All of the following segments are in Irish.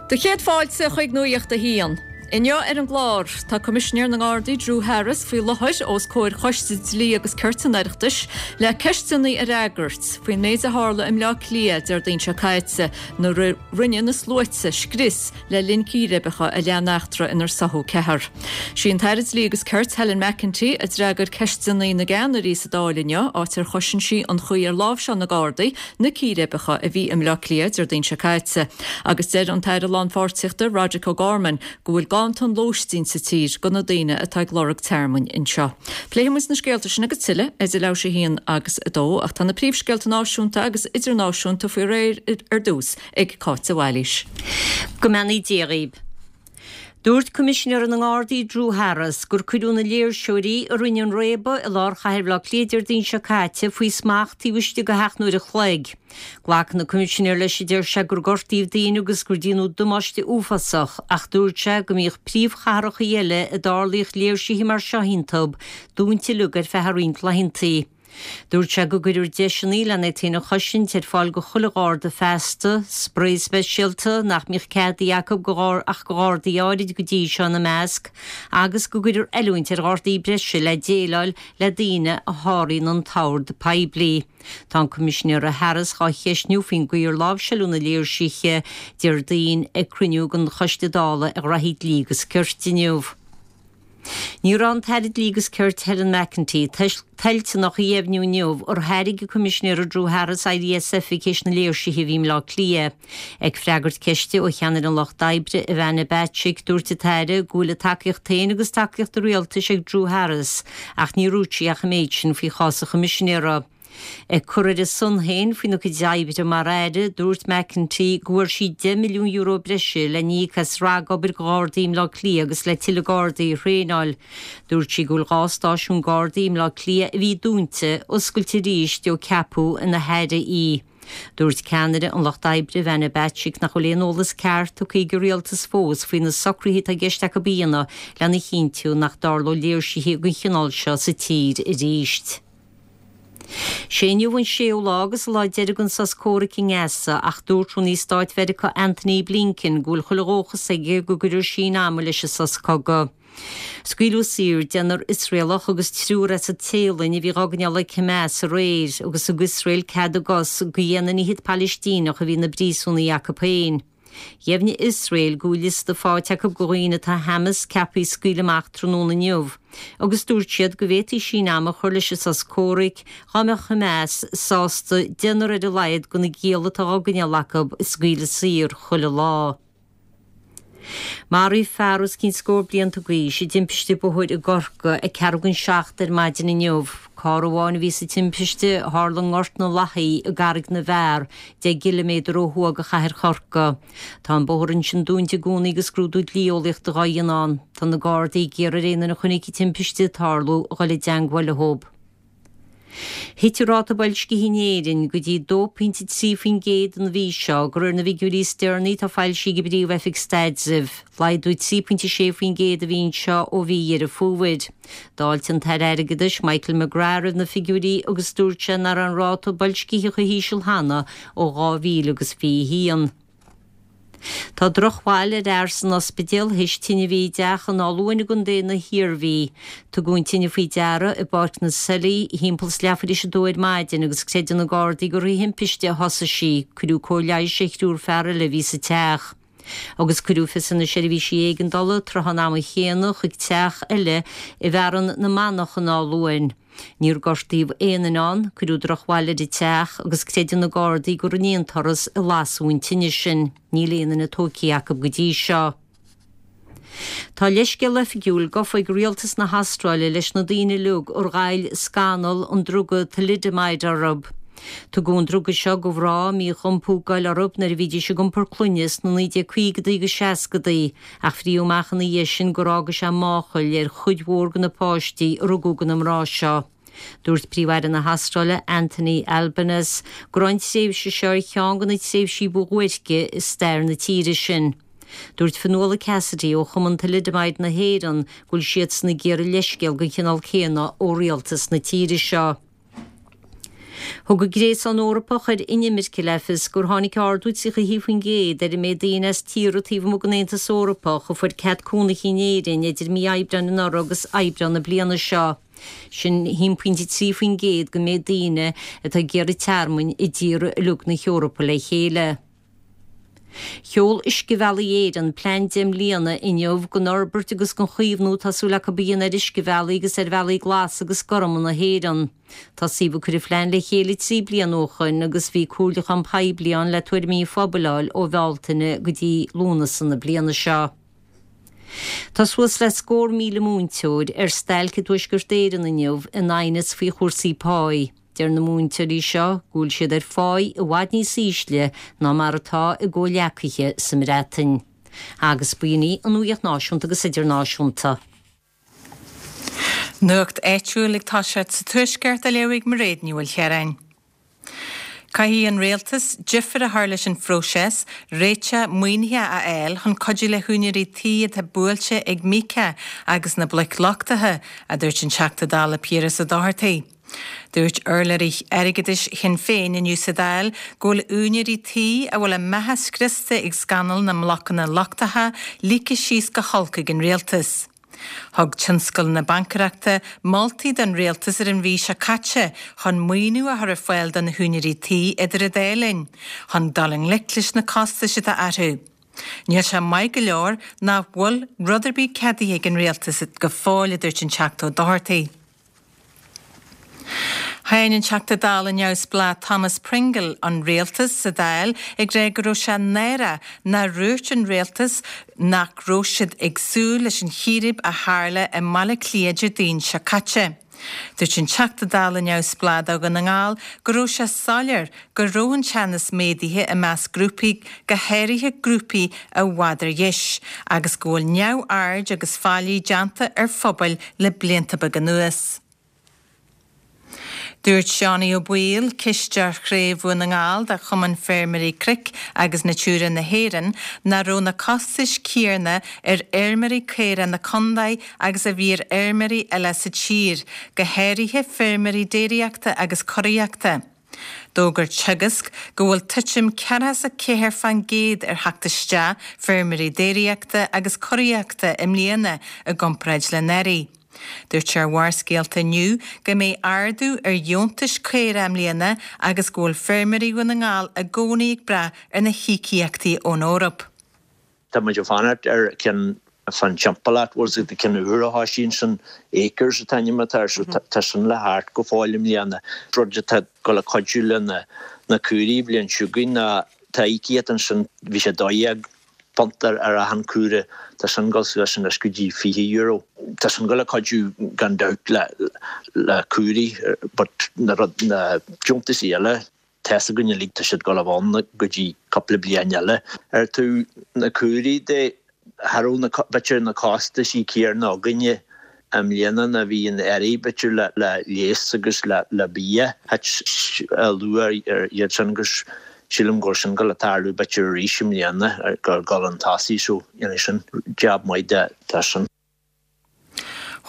Do chéad fáilte chuig Nuacht a hAon. Inniu ar an gclár, tá Coimisinéir na nGardaí Drew Harris faoi láthair os comhair Choiste Dlí agus Cirt an Oireachtais le ceisteanna a fhreagairt faoin méid a tharla i mBleá Cliath Déardaoin seo caite nuair a rinne na sluaite scrios le linn círéibeacha a lean eachtra inar soitheadh ceathrar. Sí an tAire Dlí agus Cirt Helen McEntee a d'fhreagair ceisteanna na gceannairí sa Dáil inniu, áit ar chosain sí an chaoi ar láimhseáil na Gardaí na círéibeacha a bhí i mBleá Cliath Déardaoin seo caite. Agus deir an tAire Lánpháirtíochta Roderic O'Gorman go bhfuil ganntan lóistín sa tír do na daoine atá ag lorg tearmainn anseo. Pléifidh muid na scéalta sin agus tuilleadh idir leathuair tar éis a haon agus a dó ach tá na príomhscéalta náisiúnta agus idirnáisiúnta faoi réir ar dtús ag Cáit de Bhailís. Go mbeannaí Dia dhaoib. Dúirt Coimisinéir na nGardaí Drew Harris gur cuireadh na léirseoirí a rinne an réabadh i lár chathair Bhaile Átha Cliath Déardaoin seo caite faoi smacht taobh istigh de sheacht n-uair a chloig. Glacann an Coimisinéir leis a deir sé gur gortaíodh daoine agus gur déanadh damáiste uafásach ach dúirt sé go mbíodh príomhchathracha eile a dtarlaíodh léirsithe mar seo iontub dúnta uilig ar feadh roinnt laethantaí. Dúirt sé go gcuirfear deiseanna lena iad féin a chosaint ar fáil go chuile gharda feasta, sprae speisialta nach mbíodh ceadaithe acu go ach go ghardaí áirid go dtí seo ina measc, agus go gcuirfear oiliúint ar ghardaí breise le déileáil le daoine a sháraíonn an t-ord poiblí. Tá an Coimisinéir Harris dhá cheistniú faoin gcaoi ar láimhseáladh na léirsithe Déardaoin ag cruinniú den Choiste Dála ar Ghraithí Dlí agus Cirt inniu. Ní raibh an tAire Dlí agus Cirt Helen McEntee toilteanach a dheimhniú inniu ar thairg an Coimisinéir Drew Harris éirí as oifig théis na léirsithe a bhí i mBleá Cliath. Ag freagairt ceiste ó cheannaire an Lucht Oibre, Ivana Bacik, dúirt an tAire go bhfuil a tacaíocht féin agus tacaíocht an rialtais ag Drew Harris ach níor dhúirt sí ach an méid sin faoi chás an Choimisinéara. Ag cur ar a son féin faoina cuid oibre mar aire, dúirt McEntee go bhfuair sí €10 milliún breise le n-íoc as ragobair do Ghardaí i mBleá Cliath agus le tuilleadh Gardaí a thraenáil. Dúirt sí go bhfuil 2 stáisiún Gardaí i mBleá Cliath a bhí dúnta, oscailte arís ó ceapadh ina haire í. Dúirt ceannaire an Lucht Oibre, Ivana Bacik, nach bhfuil aon eolas ceart tugtha ag an rialtas fós faoi na socruithe atá i gceist acu a dhéanamh lena chinntiú nach dtarlóidh léirsithe den chineál seo sa tír arís. Sé inniu an séú lá agus an lá deiridh den sos comhraic i nGaza ach dúirt Rúnaí Stáit Mheiriceá Antony Blinken go bhfuil chuile dhóchas aige go gcuirfear síneadh ama leis an sos cogaidh. Scaoileadh saor deichniúr Iosraelach agus triúr as an Téalainn a bhí dhá gcoinneáil ag Hamas aréir agus thug Iosrael cead a gcos do dheich nduine fhichead Palaistíneach a bhí ina bpríosúnaigh acu féin. Dheimhnigh Iosrael go bhfuil liosta faighte acu de dhaoine atá Hamas ceaptha a scaoileadh amach tráthnóna inniu agus dúirt siad go bhféadfaí síneadh ama a chur leis an sos comhraic dá mbeadh Hamas sásta deichniúr ar a laghad de na gialla atá á gcoinneáil acu a scaoileadh saor chuile lá. Maraíodh fear os cionn scór blianta d'aois i dtimpiste bóthair i gCorcaigh ag ceathrú don seacht ar maidin inniu. Carr amháin a bhí sa timpiste a tharla i nGort na Lathaí i gCarraig na bhFear, 10 gciliméadar ó thuaidh de chathair Chorcaí. Tá an bóthar ansin dúnta i gcónaí agus scrúdú dlí-eolaíochta dhá dhéanamh ann. Tá na Gardaí ag iarraidh ar aon duine a chonaic an timpiste ag tarlú a dhul i dteangmháil leo. Thit an ráta boilscithe in Éirinn go dtí 2.3% an mhí seo, de réir na bhfigiúirí is deireanaí atá foilsithe ag an bPríomh-Oifig Staidrimh. Laghdú 3.6% a bhí anseo ó mhí Dheireadh Fómhair. D'fháiltigh an tAire Airgeadais Michael McGrath roimh na figiúirí agus dúirt sé nach raibh an ráta boilscithe chomh híseal cheana ó 2021. Tá drochbhail ar fhear san ospidéal théis tine a bhí i dteach in Áth Luain i gContae na hIarmhí. Tugadh an tine faoi deara i bPáirc na Seilí thimpeall is leathuair théis a dó ar maidin agus creideann na Gardaí gur thrí thimpiste a thosaigh sí. Cuireadh cóir leighis ar thriúr fear eile a bhí sa teach. Agus cuireadh fios ar na seirbhísí éigeandála tráth an ama chéanna chuig teach eile i bhFearann na Manach in Áth Luain. Níor gortaíodh aon duine ann, cuireadh drochbhail ar an teach agus creideann na Gardaí gur an aon turas a lasadh an tine sin. Níl aon duine tógtha acu go dtí seo. Tá leithscéal oifigiúil gafa ag rialtas na hAstráile leis na daoine uilig ar ghoill scannal an druga thalidomide orthu. Tugadh an druga seo do mhná a mbíodh iompú goil orthu nuair a bhídís ag iompar clainne sna 1950idí agus 60idí Ach frítheadh amach ina dhiaidh sin gur fhága sé máchail ar chuid mhór de na páistí a rugadh do na mná seo. Dúirt Príomh-Aire na hAstráile, Anthony Albanese, go raibh an tréimhse seo ar cheann de na tréimhsí ba dhuairce i stair na tíre sin. Dúirt Fionnuala Cassidy ó Chumann Thalidomide na hÉireann go bhfuil siadsan ag iarraidh leithscéal den chineál céanna ó rialtas na tíre seo. Thug an Gréasán Eorpach ar Inimirce le fios gur tháinig ardú 31% ar an méid daoine as tíortha taobh amuigh den Aontas Eorpach a fuair cead cónaithe in Éirinn idir mí Aibreáin anuraidh agus Aibreán na bliana seo. Sin 1.3% den méid daoine atá ag iarraidh tearmainn i dtíortha uilig na hEorpa le chéile. Sheol Uiscebhealaí Éireann plean 10 mbliana inniu don fhorbairt agus don chaomhnú atá súil acu a dhéanamh ar uiscebhealaí agus ar bhealaí glasa agus gorma na hÉireann. Tosaíodh ag cur an phlean le chéile 3 bliana ó shoin agus bhí comhairliúchán poiblí ann le tuairimí an phobail a fháil ó Bhealtaine go dtí Lúnasa na bliana seo. Tá suas le scór míle múinteoir ar stailc i dTuaisceart Éireann inniu in aighneas faoi chúrsaí páí. Deir na múinteoirí seo go bhfuil siad ar pháí i bhfad níos ísle ná mar atá a gcomhghleacaithe sa mBreatain. Agus b'in í an nuacht náisiúnta agus idirnáisiúnta. Nuacht áitiúil ag toiseacht sa Tuaisceart á léamh ag Mairéad Ní Mhaoilchiaráin. Caithfidh an Rialtas difear a chur leis an phróiseas réiteach maoinithe a fháil chun cuidiú le húinéirí tí atá buailte ag Míoca agus na bloic lochtacha, a dúirt an Teachta Dála Piaras Ó Dochartaigh. Dúirt urlabhraí airgeadais Shinn Féin inniu sa Dáil go bhfuil úinéirí tí a bhfuil a mbeatha scriosta ag scannal na mblocanna lochtacha ligthe síos go holc ag an rialtas. Thug tionscal na baincaireachta moltaí don rialtas ar an mhí seo caite chun maoiniú a chur ar fáil do na húinéirí tí idir an dá linn chun dul i ngleic leis na costais atá orthu. Níl sé maith go leor nach bhfuil rud ar bith ceadaithe ag an rialtas go fóill, a dúirt an Teachta Ó Dochartaigh. Cháin an Teachta Dála neamhspleách Thomas Pringle an rialtas sa Dáil ag rá go raibh sé náireach nár dhúirt an rialtas nach raibh siad ag súil leis an chíréib a tharla i mBaile Átha Cliath Déardaoin seo caite. Dúirt an Teachta Dála neamhspleách do Dhún na nGall go raibh sé soiléir go raibh an teannas méadaithe i measc grúpaí, go háirithe grúpaí i bhfad ar dheis, agus go bhfuil neamhaird agus faillí déanta ar phobail le blianta beaga anuas. Dúirt Seánie Ó Baoill, Cisteoir Chraobh Dhún na nGall de Chumann Feirmeoirí Cnoic agus Natura na hÉireann, nach raibh na costais céarna ar fheirmeoirí caorach na condae agus a bhí ar fheirmeoirí eile sa tír, go háirithe feirmeoirí déiríochta agus curaíochta. D'fhógair Teagasc go bhfuil titim 44 fán gcéad ar theacht isteach feirmeoirí déiríochta agus curaíochta i mbliana i gcomparáid le anuraidh. Dúirt sé ar Bharrscéalta inniu go mbeidh ardú ar dheontais caorach i mbliana agus go bhfuil feirmeoirí Dhún na nGall i gcónaí ag brath ar na híocaíochtaí ón Eoraip. Tá muid ag fanacht ar ceann fán timpeallacht, bhfuil 's agat, ceann úr a thosaíonn sin, Acres an t-ainm atá air, so tá sin le theacht go fóill i mbliana. Rud atá ag dul a cuidiú le na caoirigh an bhliain seo chugainn ná tá íocaíocht ansin, bhí sé £12 ar achan caora, tá sin ag dul suas anois go dtí €20. Tá sin ag dul a cuidiú gan dabht le le caoirigh but na rud na deontaisí eile, Tá's againn uilig tá siad ag dul a bheith ann go dtí cúpla bliain eile. Ar taobh na caoirigh de, cha raibh na, b'fhéidir na costaisí céarna againne i mbliana ná bhí anuraidh, b'fhéidir le le leigheas agus le le bia. Thit luach ar iad sin agus sílim go bhfuil sin ag dul a tarlú b'fhéidir arís i mbliana gur dhul chun tosaigh so dhéanfaidh sin jab maith de de sin.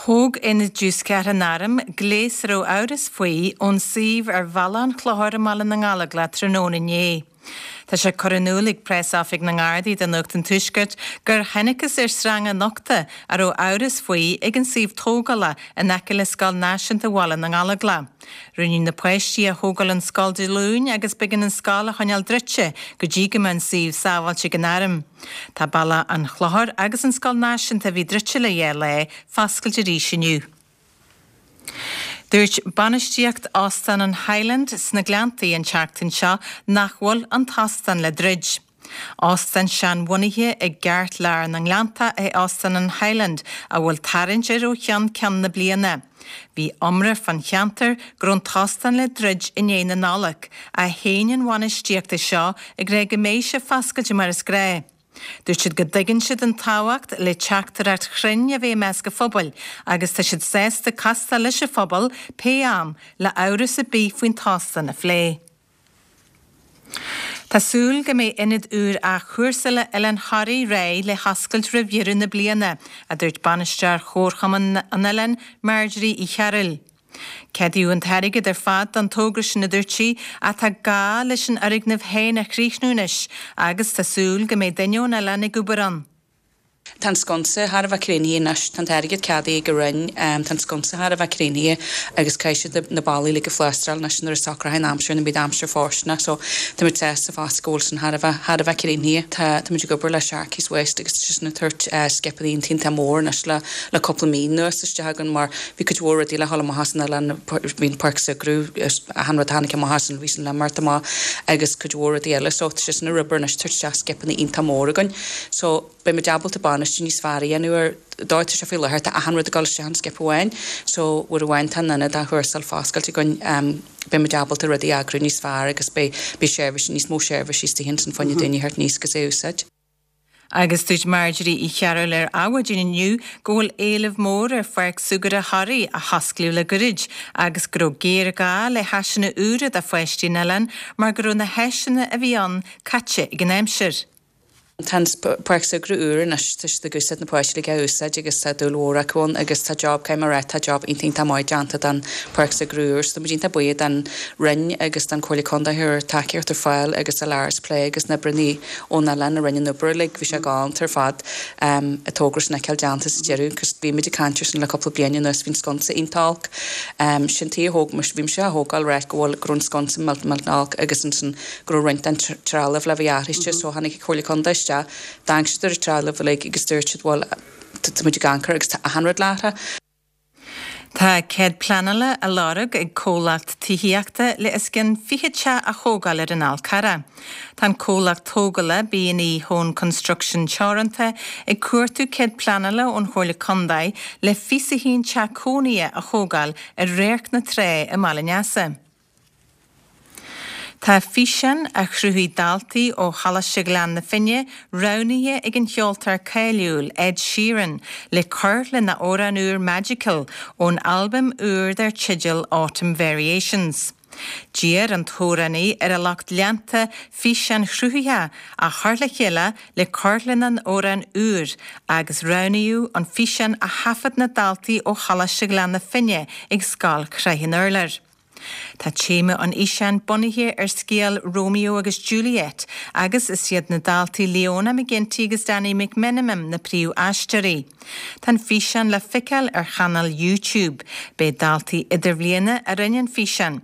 Thóg Aonad Diúscartha an Airm gléas a raibh amhras faoi ón suíomh ar Bhealach an Chlochair i mBaile na nGallóglach tráthnóna inné. Tá sé curtha in iúl ag Preas-Oifig na nGardaí do Nuacht an Tuaiscirt gur thángthas ar sreanga nochta a raibh amhras faoi ag an suíomh tógála in aice le Scoil Náisiúnta Bhaile na nGallóglach. Rinneadh na páistí a thógáil ón scoil Dé Luain agus b'éigean an scoil a choinneáil druidte go dtí go mbeadh an suíomh sábháilte ag an Arm. Tá Bealach an Chlochair agus an Scoil Náisiúnta a bhí druidte le dhá lá, foscailte arís inniu. Dúirt bainistíocht Óstán an Highland sna Gleanntaí an tseachtain seo nach bhfuil an t-óstán le druid. Óstán seanbhunaithe i gceartlár na nGleanntach é Óstán an Highland a bhfuil tarraingt air ó cheann ceann na bliana. Bhí iomrá fán cheantar go raibh an t-óstán le druid i ndiaidh na Nollag, ach shéan an bhainistíocht é seo ag rá go mbeidh sé foscailte mar is gnáth. Dúirt siad go dtuigeann siad an tábhacht le teachtaireacht chruinn a bheith i measc an phobail agus tá siad sásta castáil leis an phobal pé am le amhras ar bith faoin t-óstán a phlé. Tá súil go mbeidh ionad úr athchúrsála Oileán Thoraí réidh le hoscailt roimh dheireadh na bliana, a dúirt bainisteoir Chomharchumann an oileáin, Marjorie Uí Chearúil. Ceadaíodh an t-airgead ar fad don togra sin a dúirt sí ach tá gá leis an fhoirgneamh féin a chríochnú anois agus tá súil go mbeidh duine ón oileán ag obair ann. Tá an sconsa thar a bheith críochnaithe anois, tá an t-airgead ceadaithe ag an Roinn, tá an sconsa thar a bheith críochnaithe agus caithfidh siad na ballaí uilig a phlástráil anois nuair a socróidh an aimsir, nuair a bheidh aimsir fóirsteanach so táimid sásta fosta go bhfuil sin thar a bheith, thar a bheith críochnaithe. Tá, táimid ag obair le Sharkey's West agus tá siad sin ag tabhairt scipeanna iontach iontach mór anois le, le cúpla mí anuas isteach againn mar bhí cuid mhór rudaí le dhul amach as an oileán, bhí an páirc súgartha, achan rud a tháinig amach as an, bhí sin le imeacht amach agus cuid mhór rudaí eile so tá siad sin ag obair anois tabhairt isteach scipeanna iontach mór againn so beidh muid ábalta bainistiú níos fearr a dhéanamh ar dóigh atá sé faoi láthair, tá achan rud ag dul isteach in skip amháin so uair amháin tá an ionad athchúrsáil foscailte againn beidh muid ábalta rudaí a eagrú níos fearr agus beidh beidh seirbhísí níos mó seirbhísí istigh ansin fá choinne daoine a theacht aníos agus é a úsáid. Agus dúirt Marjorie Uí Chearbhaill ar Adhmhaidin inniu go bhfuil éileamh mór ar Pháirc Súgartha Thoraí a hosclaíodh le goirid agus go raibh géarghá le háiseanna úra do pháistí an oileáin mar go raibh na háiseanna a bhí ann caite ag an aimsir. Tá an páirc súgartha úr anois, tá siad ag úsáid na páistí uilig á úsáid agus tá dúil mhór acu ann agus tá job, caithfidh mé a rá, tá job iontach iontach maith déanta don pháirc súgartha úr so tá muid iontach buíoch don Roinn agus don Chomhairle Contae a chuir tacaíocht ar fáil agus do Laris Plé agus na oibreanna ón oileán a rinne an obair uilig, bhí sé galánta ar fad an togra sin a fheiceáil déanta sa deireadh cos bhí muid ag caint ar sin le cúpla bliain anuas, bhí an sconsa iontach olc, sin tuige a thóg mise, bhí mise á thógáil right go bhfuil, go raibh an sconsa millteanach millteanach olc agus ansin go raibh roinnt den trealamh le bheith athraithe so tháinig an Chomhairle Contae isteach, d'amharc siad ar an trealamh uilig agus dúirt siad bhuel tá muid ag amharc air agus tá achan rud le athrú. Tá cead pleanála á lorg ag comhlacht tithíochta le os cionn 20 teach a thógáil ar an Fhál Carrach. Tá an comhlacht tógála B&E Hone Construction Teoranta ag cuartú cead pleanála ón Chomhairle Contae le 21 teach cónaithe a thógáil ar Radharc na Trá i mBaile an Easa. Tá físeán a chruthaigh daltaí ó Choláiste Ghleann na Finne roghnaithe ag an cheoltóir cáiliúil Ed Sheeran le cur lena amhrán úr Magical ón albam úr dar teideal Autumn Variations. D'iarr an t-amhránaí ar a lucht leanta físeáin chruthaitheacha a chur le chéile le cur lena amhrán úr agus roghnaíodh an físeán a thaifead na daltaí ó Choláiste Ghleann na Finne ag Scoil Shraith an Urláir. Tá téama an fhíseáin bunaithe ar scéal Romeo agus Juliet agus is iad na daltaí Leona McGinty agus Danny McMenamin na príomh-aisteoirí. Tá an físeán le feiceáil ar chainéal YouTube. B'é daltaí idirbhliana a rinne an físeán.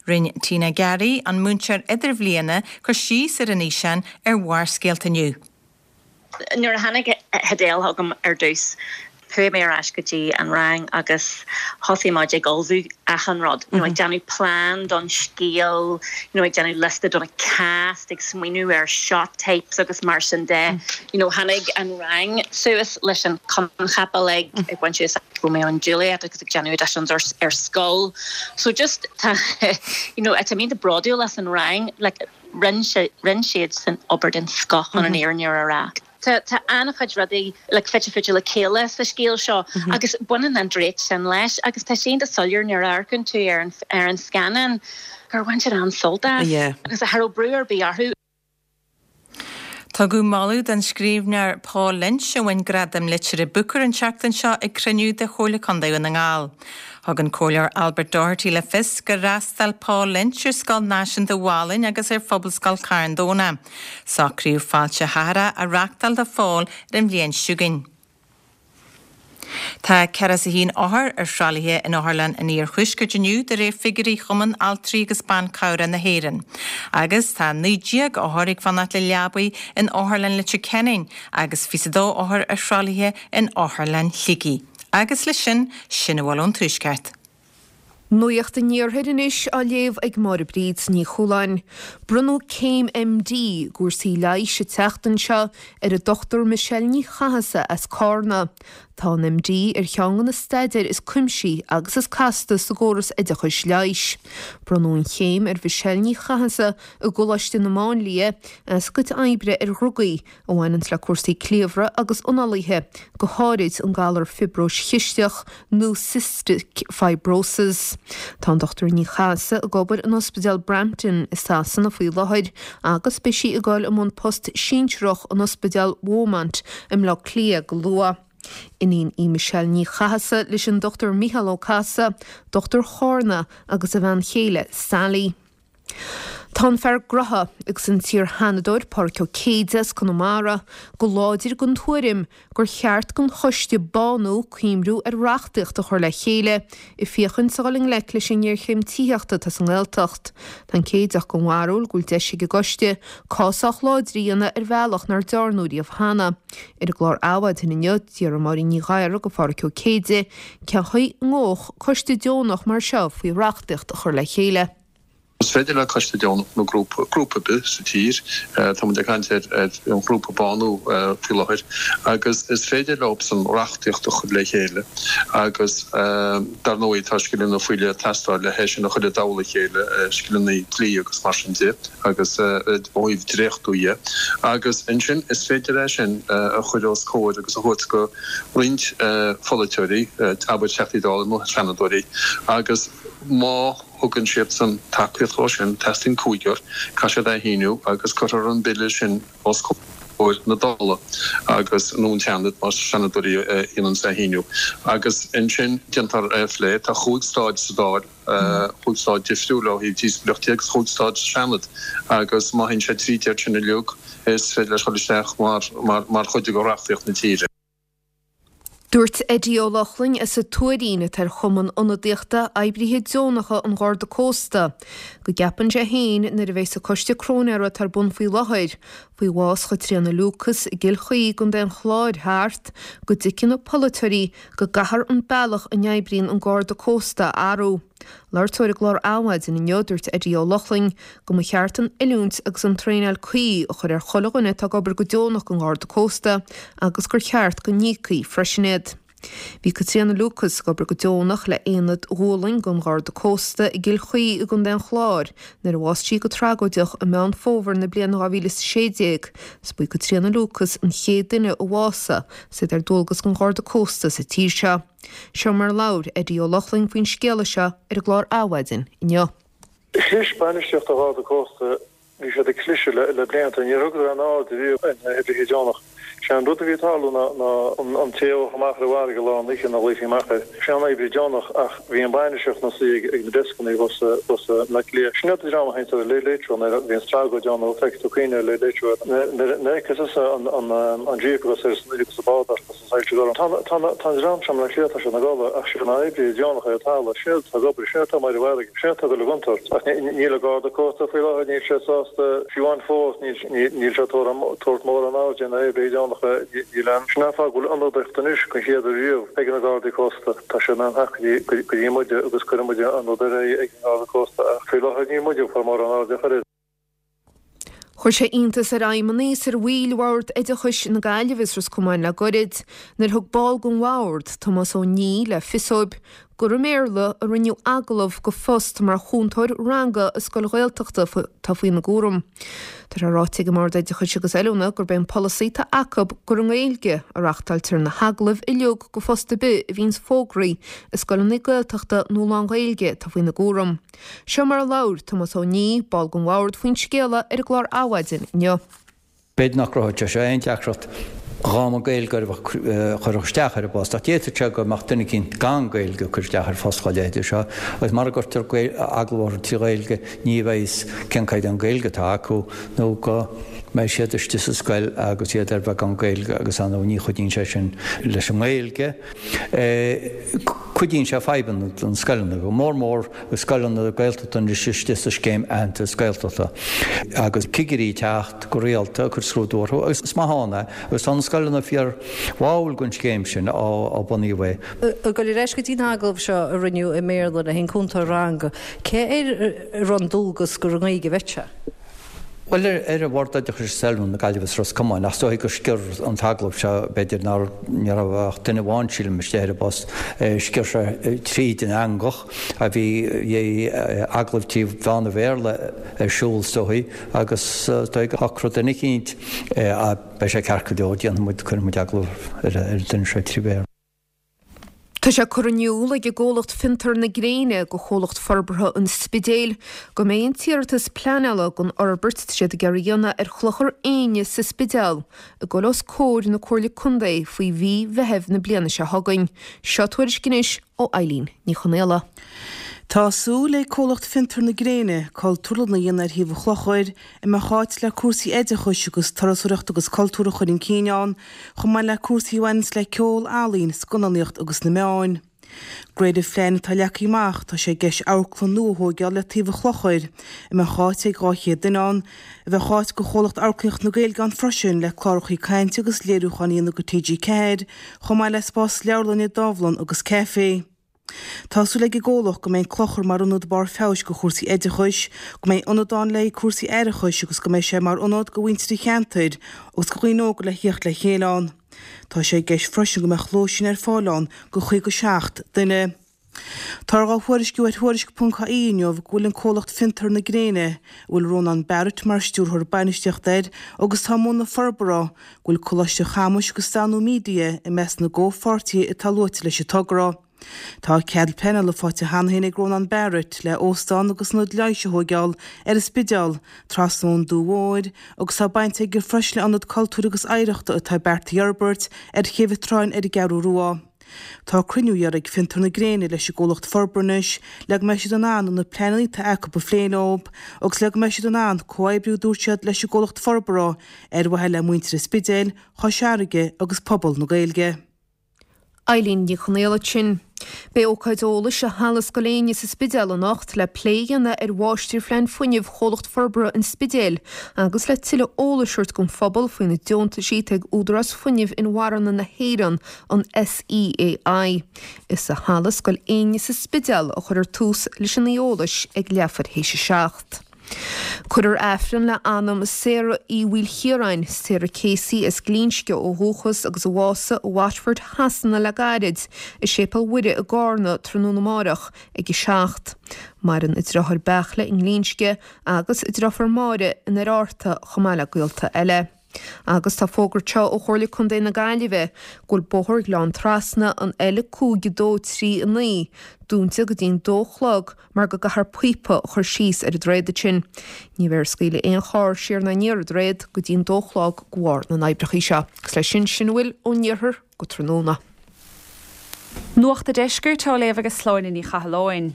Rinne Tina Garry, an múinteoir idirbhliana, cur síos ar an fhíseán ar Bharrscéalta inniu. Nuair a tháinig Adele chugam ar dtús, chuaigh mé ar ais go dtí an rang agus thosaigh muid ag ullmhú achan rud, you know, ag déanamh plean don scéal, you know, ag déanamh liosta don cast, ag smaoineamh ar shot types agus mar sin de. You know, tháinig an rang suas leis an coincheap uilig, ag baint úsáid Romeo and Juliet agus ag déanamh auditions ar, ar scoil. So just tá, you know, tá mé iontach bródúil as an rang, like, Rinne siadsan obair den scoth chun an fhírinne a rá. Tá an-chuid rudaí like fite fuaite le chéile sa scéal seo agus baineann an draíocht sin leis agus tá sé iontach soiléir nuair a amharcann tú ar an ar an scannán gur bhain siad an-sult as agus cha raibh brú ar bith orthu. Tugadh moladh don scríbhneoir Paul Lynch, a bhain Gradam Liteartha Booker an tseachtain seo ag cruinniú de Chomhairle Contae Dhún na nGall. Thug an Comhairleoir Albert Doherty le fios gur fhreastail Paul Lynch ar Scoil Náisiúnta Mhálainn agus ar Phobalscoil Charn Domhnach. Socraíodh fáilte chathartha a reachtáil do Phól ar an bhliain seo chugainn. Tá 41 othar ar thralaithe in Otharlann an Iarthuaiscirt inniu de réir figiúirí Chumann Altraí agus Ban Cabhrach na hÉireann. Agus tá 19 othar ag fanacht le leabaí in Otharlann Leitir Ceanainn agus 22 othar ar thralaithe in Otharlann Shligigh. Agus leis sin, sin a bhfuil ón Tuaisceart. Nuacht an Iarthair anois á léamh ag Máire Bríd Ní Chualáin. Bronnadh céim MD i gcúrsaí leighis an tseachtain seo ar an Dr Michelle Ní Chathasaigh as Cárna. Tá an MD ar cheann de na staidéir is cuimsithí agus is casta sa gcóras oideachais leighis. Bronnadh an chéim ar Mhichelle Ní Chathasaigh i gColáiste na Máinlia as a cuid oibre ar dhrugaí a bhaineanns le cúrsaí cliabhraigh agus análaithe, go háirid an galar fiobróis chisteach nó cystic fibrosis. Tá an Dr Ní Chathasaigh ag obair in Ospidéal Brampton i Sasana faoi láthair agus beidh sí ag dul i mbun post sinsearach in Ospidéal Beaumont i mBleá Cliath go luath. Iníon í Michelle Ní Chathasaigh leis an Dr Mícheál Ó Cathasaigh, dochtúir Chárna, agus a bhean chéile Sally. Tá an fear gnotha agus an t-iar-Sheanadóir Pádraig Ó Céide as Conamara go láidir den tuairim gur cheart don choiste Bánú cuimriú ar reachtaíocht a chur le chéile ag féachaint a dhul i ngleic leis an ngéarchéim tithíochta atá sa nGaeltacht. Tá an Céideach den bharúil go bhfuil deis ag an gcoiste cás sách láidir a dhéanamh ar bhealach nár dearnadh riamh cheana. Ar an gclár Adhmhaidin inniu, d'fhiafraigh Máirín Ní Ghadhra de Phádhraic Ó Céide cén chaoi a ngabhfadh coiste deonach mar seo faoi reachtaíocht a chur le chéile. Is féidir le coiste deonach nó grúpa, grúpa ar bith sa tír, tá muid ag caint ar an ghrúpa Bánú faoi láthair, agus is féidir leobsan reachtaíocht a chur le chéile agus dar ndóigh tá scileanna faoi leith ag teastáil le hé sin a chur i dtoll a chéile, scileanna dlí agus mar sin de agus ó thaobh dréachtú dhe. Agus ansin is féidir é sin a chur os comhair agus a thabhairt go roinnt pholaiteoirí, abair Teachtaí Dála nó Seanadóirí agus má thugann siadsan tacaíocht dhó sin, teastaíonn cúigear, caithfidh siad é a shíniú agus cuirfear an bille sin os comhair na Dála agus, nó an tSeanaid más Seanadóirí a dhéananns é a shíniú. Agus ansin déantar é a phlé. Tá chúig stáid sa Dáil, chúig stáid difriúil ó thaobh díospóireachta de agus chúig stáid sa Seanad agus má théann sé tríd iad sin uilig is féidir leis dul isteach mar chuid de reachtaíocht na tíre. Dúirt Eddie Ó Lochlainn as an Tuairín, atá ar Chumann Ionadaíochta Oibrithe Deonacha an Gharda Cósta, go gceapann sé féin nuair a bheas an coiste cróinéara atá ar bun faoi láthair faoi bhás Chaitríona Lucas i gCill Chaoi i gContae an Chláir thart, go dtuigfidh na polaiteoirí go gcaithfear an bealach a n-oibríonn an Garda Cósta a athrú. Labhairt dó ar an gclár Adhmhaidin inniu, dúirt Eddie Ó Lochlainn go mba cheart an oiliúint agus an traenáil cuí a chur ar chuile dhuine atá ag obair go deonach don Gharda Cósta agus gur cheart go n-íocfaí freisin iad. Bhí Caitríona Lucas ag obair go deonach le Aonad Ghualainn den Gharda Cósta i gCill Chaoi i gContae an Chláir nuair a bhásaigh sí go tragóideach i Meán Fómhair na bliana 2016. Is ba í Caitríona Lucas an chéad duine a bhásaigh is iad ar dualgas don Gharda Cósta sa tír seo. Seo mar a labhair Eddie Ó Lochlainn faoin scéala seo ar an gclár Adhmhaidin inniu. Chlis bainistíocht an Gharda Cósta, bhí siad ag cliseadh le blianta, níor thugadar aon aird ariamh ar na hoibrithe deonach. Sé an rud a bhí ag tarlú ná an té a ghabhadh amach ar an bhfarraige i lár na hoíche nó a ghlaofaí amach air, sé an oibrí deonach ach bhí an bainistíocht ina suí ag na deascanna thuas i mBleá Cliath. Sin iad an dream a théanns ar an Late Late Show nuair a bhíonns tragóid ann nó feicfidh tú cuimhne ar Late Late Show nuair a fheicfeas tusa an jíp agus ar san oíche agus an bád ach Tá an dream seo i mBleá Cliath, tá siad ina gcodladh, ach siad na hoibrithe deonacha ar an talamh, sin iad atá ag obair, sin iad atá amuigh ar an bhfarraige, sin iad atá ag dul i gcontúirt. Ach níl an Garda Cósta faoi láthair, níl siad sásta, fiú amháin fós, níl siad ag tabhairt mórán airde ar na hoibrithe deonacha, níl aon. Sin an fáth go bhfuil ionadaíocht anois den chéad uair riamh ag na Gardaí Cósta, tá siad in ann theacht go dtí muide agus cuireann muide an rud ar aghaidh ag an nGarda Cósta ach faoi láthair níl muide ag fáil mórán airde ar chor ar bith. Chuir sé iontas ar fheidhmeannaigh is ar bhaill Bhord Oideachais na Gaillimhe is Ros Comáin le goirid nuair a thug ball den bhord, Tomás Ó Niaidh, le fios dóibh gur i mBéarla a rinneadh agallamh do phost mar chúntóir ranga i scoil Ghaeltachta atá faoina gcúram. Tá sé ráite ag an mBord Oideachais agus Oiliúna gurb é an polasaí atá acu gur i nGaeilge a reachtáiltear na hagallaimh uilig do phost ar bith a bhíonns fógraithe i scoileanna Gaeltachta nó lán-Ghaeilge atá faoina gcúram. Seo mar a labhair Tomás Ó Niaidh, ball den bhord, faoin scéala ar an gclár Adhmhaidin inniu. B'fhéidir nach gcruthódh sé seo aon deacracht dhá mba Gaeilgeoir a chuirfeadh isteach ar an bpost, ach d'fhéadfadh sé go mbeadh duine eicínt gan Gaeilge ag cur isteach ar phost dá leithéide seo, agus mara gcuirtear agallamh orthu trí Ghaeilge ní bheidh fhios cén caighdeán Gaeilge atá acu nó go mbeidh siad istigh sa scoil agus iad ar bheagán Gaeilge agus ar ndóigh ní chuidíonn sé sin leis an nGaeilge. Cuidíonn sé fadhbanna do na scoileanna, go mór mór scoileanna Gaeltachta anois istigh sa scéim aitheantas Gaeltachta agus cigirí ag teacht go rialta ag cur scrúdú orthu agus is maith ann é agus tá na scoileanna fíor bháúil den scéim sin ó bunaíodh é. Ag dul ar ais go dtí an agallamh seo a rinneadh i mBéarla le haghaidh an cúntóir ranga, cé air a raibh an dualgas gur i nGaeilge a bheadh sé? Bhuel, ar an Bhord Oideachais is Oiliúna na Gaillimhe is Ros Comáin, ach is dóigh gur sciorr an t-agallamh seo, b'fhéidir nár, ní raibh ach duine amháin, sílim, istigh ar an bpost, sciorr sé tríd an eangach, bhí agallamh trí mheán an Bhéarla ar siúl is dóigh, agus is dóigh gur shocraigh duine eicínt, beidh sé ceart go leor, déanfaidh muid, cuirfidh muid agallamh ar an duine seo trí Bhéarla. Tá sé curtha in iúl ag an gcomhlacht Fiontar na Gréine go Chomhlacht Forbartha an Spidéil go mbeidh an t-iarratas pleanála don fhorbairt atá siad ag iarraidh a dhéanamh ar Chlochar Éinne sa Spidéal ag dul os comhair na Comhairle Contae faoi mhí Mheithimh na bliana seo chugainn. Seo tuairisc anois ó Eileen Ní Chonaola. Tá súil ag comhlacht Fiontar na Gréine cultúrlann a dhéanamh ar thaobh an chlochair, a mbeadh áit le cúrsaí oideachais agus turasóireachta agus cultúir a chur chun cinn ann, chomh maith le cúrsaí a bhaineanns le ceol, ealaín, scannánaíocht agus na meáin. De réir an phlean atá leagtha amach, tá sé i gceist amharclann nua a thóigeáil le taobh an chlochair, a mbeadh áit ag 200 duine ann, a bheadh áit go chomhlacht Amharclannaíocht na Gaeilge ann freisin le clárachaí cainte agus léiriúcháin a dhéanamh go TG4, chomh maith le spás leabharlainne, dámhlann agus caife. Tá súil ag an gcomhlacht go mbeidh an clochar mar ionad barr feabhais go chúrsaí oideachais, go mbeidh ionad ann le haghaidh cúrsaí aireachais agus go mbeidh sé mar ionad go mhuintir an cheantair agus go dhaoine óga le thíocht le chéile ann. Tá sé i gceist freisin go mbeadh lóistín ar fáil ann go 57 duine. Táthar dhá thuairisciú ar Thuairisc.ie inniu go bhfuil an comhlacht Fiontar na Gréine, a bhfuil Rónán Barrett mar stiúrthóir bainistíochta air agus atá i mbun na forbartha, go bhfuil Coláiste Chamuis agus Danú Media i measc na gcomhpháirtithe atá luaite leis an togra. Tá cead pleanála faighte cheana féin ag Rónán Barrett le óstán agus ionad leighis a thóigeáil ar an Spidéal, trasna ón Dumha Mhóir, agus tá baint aige freisin le ionad cultúir agus oidhreachta atá beartaithe a fhorbairt ar Chéibh an tSrutháin ar an gCeathrú Rua. Tá cruinniú iarrtha ag Fiontar na Gréine leis an gcomhlacht forbartha anois le go mbeidh siad in ann na pleananna atá acu a phlé leo agus le go mbeidh siad in ann comhoibriú, dúirt siad, leis an gcomhlacht forbartha ar mhaithe le muintir an Spidéil, Chois Fharraige agus pobal na Gaeilge. Eileen Ní Chonaola ansin. Beidh ócáid eolais i Halla Scoil Éinne sa Spidéal anocht le plé a dhéanamh ar Mháistirphlean Fuinnimh Chomhlacht Forbartha an Spidéil agus le tuilleadh eolais a thabhairt don phobal faoi na deontaisí atá ag Údarás Fuinnimh Inmharthana na hÉireann, an SEAI. Is i Halla Scoil Éinne sa Spidéal a chuirfear tús leis an oíche eolais ag leathuair théis 7. Cuirfear Aifreann le anam Sarah Uí Mhaoilchiaráin, Sarah Casey as Glinsce ó dhúchas agus a bhásaigh i Watford Shasana le gairid, i Séipéal Mhuire i gCarna tráthnóna amáireach ag 7. Maireann a deartháir Beartla i nGlinsce agus a deirfiúr Máire in Oir Fhearta chomh maith le gaolta eile. Agus tá fógra anseo ó Chomhairle Contae na Gaillimhe go bhfuil Bóthar Ghleann Trasna, an L5 2 3 9, dúnta go dtí'n dó a chlog mar go gcaithfear píopa a chur síos ar an droichead ansin. Ní bheifear ag scaoileadh aon charr siar ná aniar an droichead go dtí'n dó a chlog de bharr na n-oibreacha seo. Agus leis sin, sin a bhfuil ón iarthar go tráthnóna. Nuacht a' Deiscirt á léamh ag Sláine Ní Chathalláin.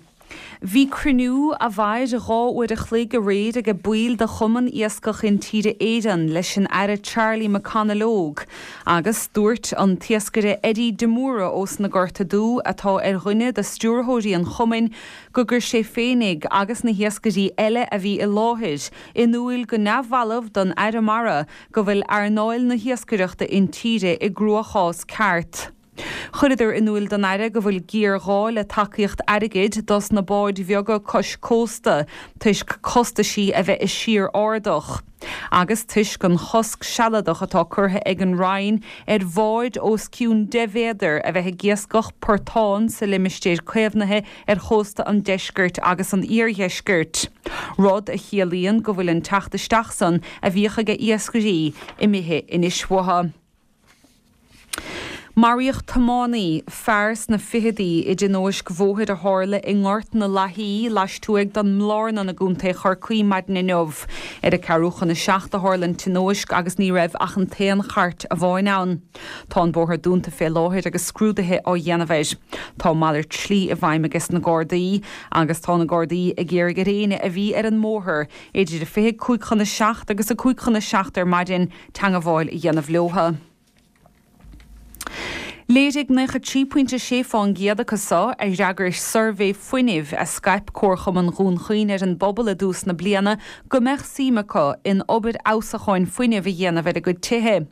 Bhí cruinniú a mhair 2 uair a chloig aréir age baill de Chumann Iascach Intíre Éireann leis an Aire Charlie McConalogue agus dúirt an t-iascaire Eddie de Mórdha ós na Gorta Dubh atá ar dhuine de stiúrthóirí an chumainn go gcuir sé féinig agus na hiascairí eile a bhí i láthair in úil go neamhbhalbh don Aire Mara go bhfuil earnáil na hiascaireachta intíre i gcruachás ceart. Chuireadar in úil don Aire go bhfuil géarghá le tacaíocht airgid dos na báid bheaga cois cósta toisc costaisí a bheith i síor-ardach agus toisc an chosc sealadach atá curtha ag an Roinn ar bháid os cionn 10 mhéadar a bheith ag iascach portán sa limistéir caomhnaithe ar chósta an deiscirt agus an iardheiscirt, rud a chiallaíonn go bhfuil an teacht isteach san a bhíodh aige iascairí imithe anois uathu. Maraíodh tiománaí, fear sna ficheadaí, i dtionóisc bhóthair a tharla i nGort na Lathaí, laistuaidh den mBlárnan i gContae Chorcaí maidin inniu. Ar a ceathrú chun a seacht a tharla an tionóisc agus ní raibh ach an t-aon chairt amháin ann. Tá an bóthar dúnta fé láthair agus scrúduithe á dhéanamh air. Tá malairt slí i bhfeidhm ages na Gardaí agus tá na Gardaí ag iarraidh ar éinne a bhí ar an mbóthar idir a 25 chun a seacht agus a 5 chun a seacht ar maidin teangabháil a dhéanamh leotha. Léirigh 93.6 fán gcéad acu so a d'fhreagair suirbhé fuinnimh a scaip Comharchumann Dhún Chaoin ar an bpobal i dtús na bliana go mbeadh suim acu in obair fheabhsacháin fuinnimh a dhéanamh ar a gcuid tithe.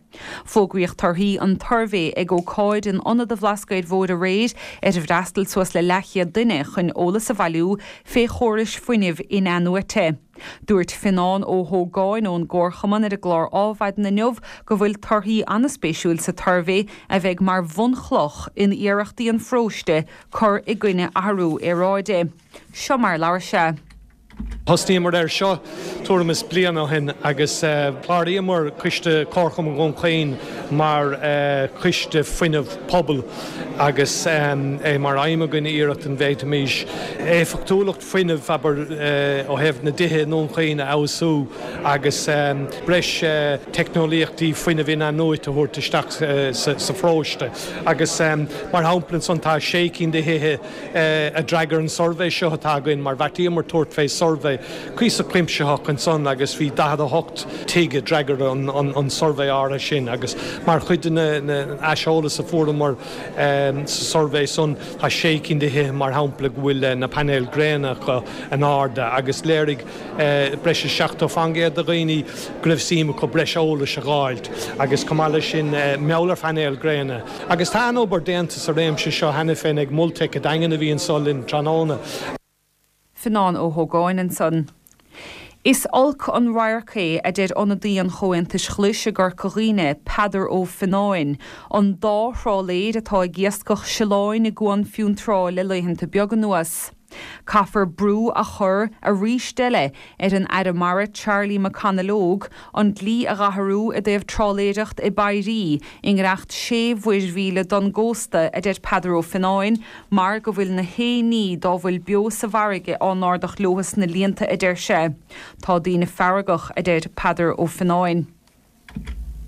Fógraíodh torthaí an tsuirbhé ag ócáid in Ionad an Bhlascaoid Mhóir aréir ar ar fhreastail suas le leathchéad duine chun eolas a bhailiú fé chórais fuinnimh in-athnuaite. Dúirt Fionán Ó hÓgáin ón gComharchumann ar an gclár Ádhmhaidin inniu go bhfuil torthaí an-spéisiúil sa tsuirbhé a bheidh mar bhunchloch in iarrachtaí an pharóiste cur i gcoinne athrú aeráide. Seo mar a labhair sé. Thosnaíomar air seo tuairim is bliain ó shin agus chláraíomar Coiste Comharchumann Dhún Chaoin mar choiste fuinnimh pobail agus é mar aidhm againn iarracht an bhféadfaimis éifeachtúlacht fuinnimh, abair, ó thaobh na dtithe i nDún Chaoin a fheabhsú agus breis teicneolaíochtaí fuinnimh in-athnuaite a thabhairt isteach sa pharóiste. Agus mar shampla ansan tá sé cinn de thithe a d'fhreagair an suirbhé seo atá againn mar bheartaíomar tabhairt fé suirbhé cuíosach cuimsitheach ansan agus bhí 48 tigh a d'fhreagair an suirbhé áirithe sin agus mar chuid den aiseolas a fuaireamar sa suirbhé san tá sé cinn de thithe mar shampla go bhfuil na painéil gréine acu in airde agus léirigh breis is 70% de dhaoine go raibh suim acu breis eolais a dh'fháilt agus chomh maith leis sin mar gheall ar phainéil gréine. Agus tá an-obair déanta sa réimse seo cheana féin ag Multec an Daingin a bhí anso linn tráthnóna. Fionán Ó hÓgáin ansan. Is olc an radharc é, a deir ionadaí an Chomhaontais Ghlais i gCorca Dhuibhne, Peadar Ó Fionnáin, an dá thrálaeir atá ag iascach sileáin i gCuan Fionntrá le laethanta beaga anuas. Caithfear brú a chur arís eile ar an Aire Mara Charlie McConalogue an dlí a dh'athrú i dtaobh trálaeireacht i bpéirí i ngiorracht sé mhuirmhíle don gcósta, a deir Peadar Ó Fionnáin, mar go bhfuil na haon ní dá bhfuil beo sa bhfarraige á n-ardach leotha sna líonta, a deir sé. Tá daoine feargach, a deir Peadar Ó Fionnáin.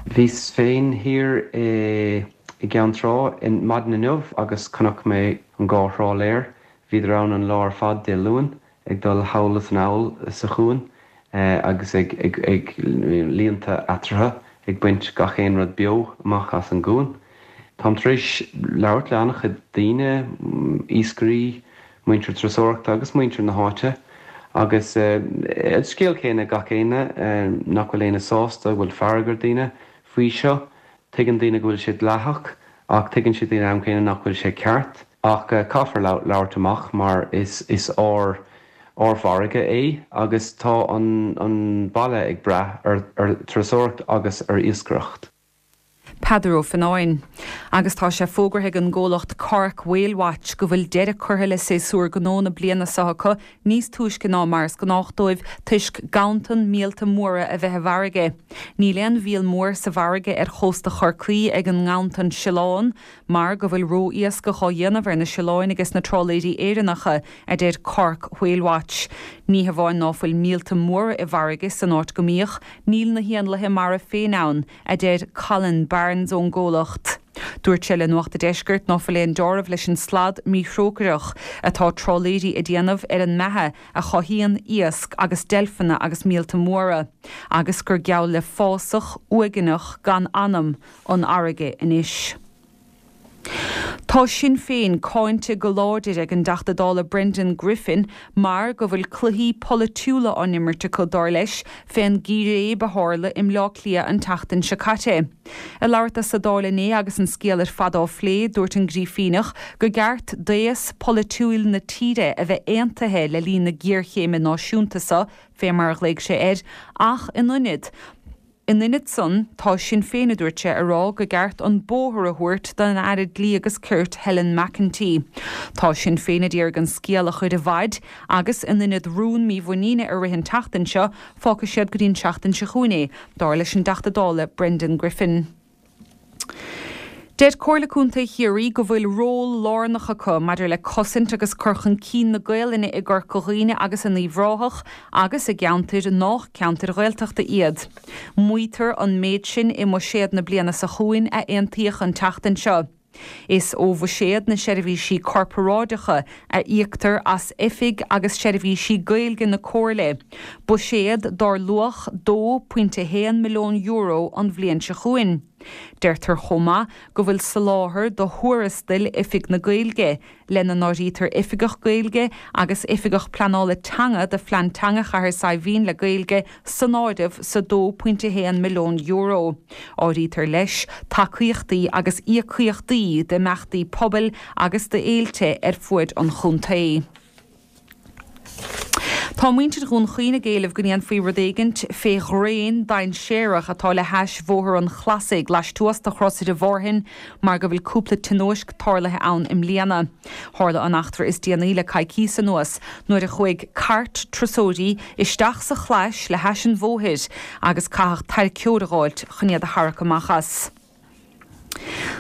Bhíos féin thiar i gCeann Trá maidin inniu agus chonaic mé an dhá thrálaer. Bhíodar ann an lá ar fad Dé Luain ag dul thall is anall sa chuan agus ag ag líonta eatarthu ag baint gach aon rud beo amach as an gcuan. Táim tar éis labhairt le an-chuid daoine, iascairí, muintir turasóireachta agus muintir na háite agus an scéal céanna ag gach éinne, nach bhfuil éinne sásta, go bhfuil fearg ar daoine faoi seo. Tuigeann daoine go bhfuil sé dleathach ach tuigeann siad ag an am céanna nach bhfuil sé ceart. Ach caithfear labhairt amach mar is is ár ár bhfarraige é agus tá an an baile ag brath ar ar turasóireacht agus ar iascaireacht. Peadar Ó Fionnáin. Agus tá sé fógartha ag an gcomhlacht Cork Whale Watch go bhfuil deireadh curtha le séasúr gnó na bliana seo acu níos túisce ná mar is gnách dóibh toisc ganntan míolta móra a bheith i bhfarraige. Níl aon mhíol mór sa bhfarraige ar chósta Chorcaí ag an nganntan sileán mar go bhfuil ró-iascach á dhéanamh ar na sileáin ages na trálaeirí Éireannacha, a deir Cork Whale Watch. Ní hamháin ná fuil míolta móra i bhfarraige san áit go mbíodh, níl na héanlaithe mara féin ann, a deir Colin Barnes ón gcomhlacht. Dúirt sé le Nuacht a' Deiscirt ná fuil aon deáramh leis an slad míthrócaireach atá trálaeirí a déanamh ar an mbeatha a chothaíonn iasc agus deilfeanna agus míolta móra, agus gur geall le fásach uaigneach gan anam an fharraige anois. Tá Sinn Féin cáinte go láidir ag an dTeachta Dála Brendan Griffin mar go bhfuil cluichí polaitiúla á n-imirt acu, dar leis, fén gcíréib a tharla i mBleá Cliath an tseachtain seo caite. Ag labhairt dó sa Dáil inné agus an scéal ar fad á phlé, dúirt an Grífíneach gur ceart d'aos polaitiúil na tíre a bheith aontaithe le linn na géarchéime náisiúnta seo, fé mar a ghlaoigh sé air, ach in ionad In ionad san, tá Sinn Féin, a dúirt sé, a rá go gceart an bóthar a thabhairt don Aire Dlí agus Cirt Helen McEntee. Tá Sinn Féin a d'iarraidh an scéal a chur i bhfaid agus in ionad rún mímhuiníne a rith an tseachtain seo, fágfaidh siad go dtí an tseachtain seo chugainn é, dar leis an dTeachta Dála Brendan Griffin. Deir Comhairle Contae Chiarraí go bhfuil ról lárnach acu maidir le cosaint agus cur chun cinn na Gaolainne i gCorca Dhuibhne agus in Uíbh Ráthach agus i gceantair nách ceantair Ghaeltachta iad. Maítear an méid sin i mbuiséad na bliana seo chugainn a aontaíodh an tseachtain seo. Is ó bhuiséad na seirbhísí corparáideacha a íoctar as oifig agus seirbhísí Gaeilge na Comhairle, buiséad dár luach €2.1 milliún an bhliain seo chugainn. Deirtear chomh maith go bhfuil soláthar do thuarastail Oifig na Gaeilge, lena n-áirítear Oifigeach Gaeilge agus Oifigeach Pleanála Teanga do Phlean Teanga Chathair Saidhbhín le Gaeilge san áireamh sa €2.1 milliún. Áirítear leis tacaíochtaí agus íocaíochtaí d'imeachtaí pobail agus d'fhéilte ar fuaid an chontae. Tá muintir Dhún Chaoin ag éileamh go ndéanfaí rud éigint fé dhraein dainséarach atá le hais Bhóthar an Chlasaigh laistuas de Chrosaire Mhárthain mar go bhfuil cúpla tionóisc tarlaithe ann i mbliana. Tharla an eachtra is déanaí le coicíos anuas nuair a chuaigh cairt turasóirí isteach sa chlais le hais an bhóthair agus caitheadh tarraiceoir a dh'fháilt chun iad a tharrac amach as.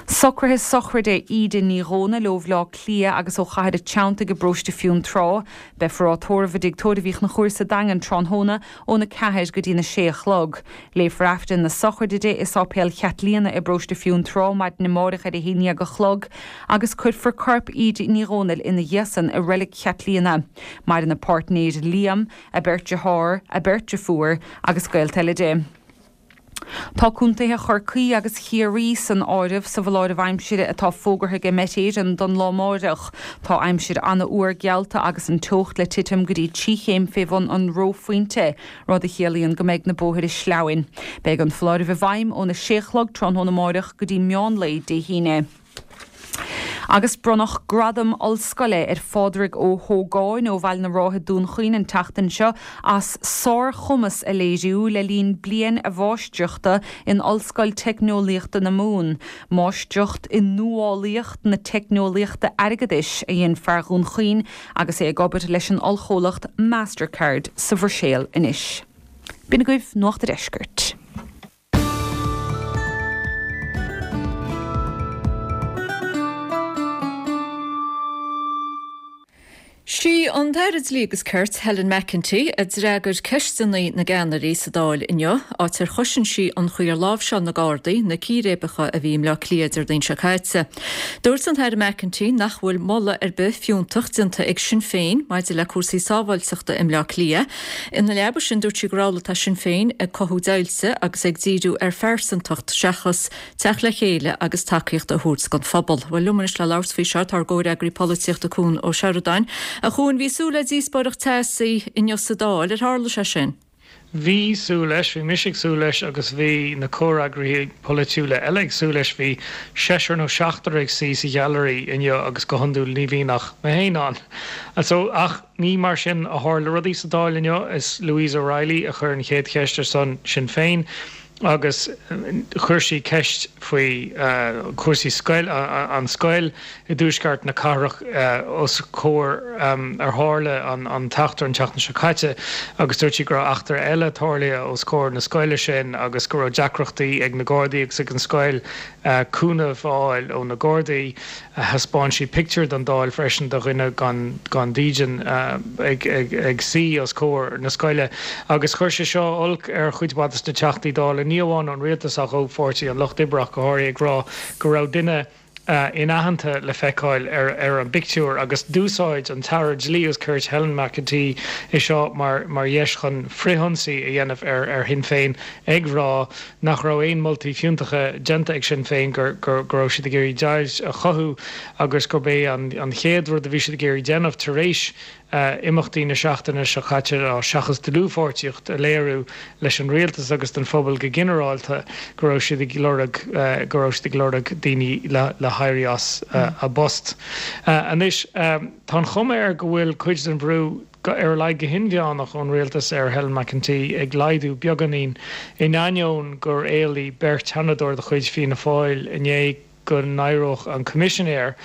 Socruithe sochraide Íde Ní Dhomhnaill ó Bhleá Cliath agus ó Chathair a' Treanntaigh i bparóiste Fionntrá. Beifear á tórramh i dTigh Tórraimh Uí Chonchúir sa Daingean tráthnóna óna 4 go dtína 6 a chlog. Léifear Aifreann na sochraide di i Sáipéal Chaitlíona i bparóiste Fionntrá maidin amáireach ar a haon dhéag a chlog agus cuirfear corp Íde Ní Dhomhnaill ina dhiaidh san i Reilig Chaitlíona. Maireann a páirtnéir Liam, a beirt dearthár, a beirt deirfiúr agus gaolta eile di. Tá contaetha Chorcaí agus Chiarraí san áireamh sa bhfoláireamh aimsire atá fógartha ag Met Éireann don lá amáireach. Tá aimsir an-fhuar geallta agus an teocht le titim go dtí 3 chéim fé bhun an reophointe, rud a chiallaíonn go mbeidh na bóithre sleamhain. Beidh an foláireamh i bhfeidhm óna sé a chlog tráthnóna amáireach go dtí meán lae Dé hAoine. Agus bronnadh gradam ollscoile ar Phádraig Ó hÓgáin ó Bhaile na Rátha, Dún Chaoin an tseachtain seo as sárchumas a léiriú le linn bliain a mháistreachta in Ollscoil Teicneolaíochta na Mumhan. Máistreacht i Nuálaíocht na Teicneolaíochta Airgeadais a dhein fear Dhún Chaoin agus é ag obair leis an ollchomhlacht Mastercard sa Bhruiséil anois. B'in agaibh Nuacht a' Deiscirt. Sí an tAire Dlí agus Cirt, Helen McEntee, a d'fhreagair ceisteanna na gceannairí sa Dáil inniu, áit ar chosain sí an chaoi ar láimhseáil na Gardaí na círéibeacha a bhí i mBleá Cliath Déardaoin seo caite. Dúirt an tAire McEntee nach bhfuil moladh ar bith fiúntach déanta ag Sinn Féin maidir le cúrsaí sábháilteachta i mBleá Cliath. Ina leaba sin, dúirt sí gur amhlaidh atá Sinn Féin ag cothú deighilte agus ag díriú ar phearsantacht seachas teacht le chéile agus tacaíocht a thabhairt don phobal. Bhuel, liom anois le labhairt faoi seo tá ár gcomhfhreagraí polaitíochta Cuan Ó Seireadáin. A Chuain, bhí súil le díospóireacht teasaí inniu sa Dáil, ar tharla sé sin? Bhí súil leis, bhí mise ag súil leis agus bhí na comhfhreagraithe polaitiúla eile ag súil leis. Bhí seisear nó seachtar ag suí sa ghailearaí inniu agus go hiondúil ní bhíonn ach mé féin ann. So, ach ní mar sin a tharla rudaí sa Dáil inniu. Is Louise O'Reilly a chuir an chéad cheist ar son Sinn Féin agus chuir sí ceist faoi chúrsaí scoil, an scoil i dtuaisceart na cathrach os comhair ar tharla an t-eachtra an tseachtain seo caite agus dúirt sí go raibh eachtra eile tarlaithe os comhair na scoile sin agus go raibh deacrachtaí ag na Gardaí agus ag an scoil cúnamh a fháil ó na Gardaí. Thaispeáin sí pictiúr don Dáil freisin de dhuine gan dídean ag suí os comhair na scoile agus chuir sé seo olc ar chuid mhaith de na Teachtaí Dála, ní amháin ón rialtas ach ó Pháirtí an Lucht Oibre ach go háirithe, ag rá go raibh duine inaitheanta le feiceáil ar an bpictiúr agus d'úsáid an tAire Dlí agus Cirt Helen McEntee é seo mar dheis chun frithionsaí a dhéanamh ar Shinn Féin ag rá nach raibh aon moltaí fiúntacha déanta ag Sinn Féin, go raibh siad ag iarraidh deighilt a chothú agus gurb é an chéad rud a bhí siad ag iarraidh déanamh tar éis imeachtaí na seachtaine seo caite ná, seachas dlúthpháirtíocht a léiriú leis an rialtas agus don phobal go ginearálta, go raibh siad ag lorg go raibh siad ag lorg daoine le héirí as a bpost. Anois, tá an chuma air go bhfuil cuid den bhrú, ar a laghad go hinmheánach, ón rialtas ar Helen McEntee ag laghdú beagáinín, in ainneoin gur éiligh beirt Sheanadóir de chuid Fianna Fáil inné go n-éireodh an Coimisinéir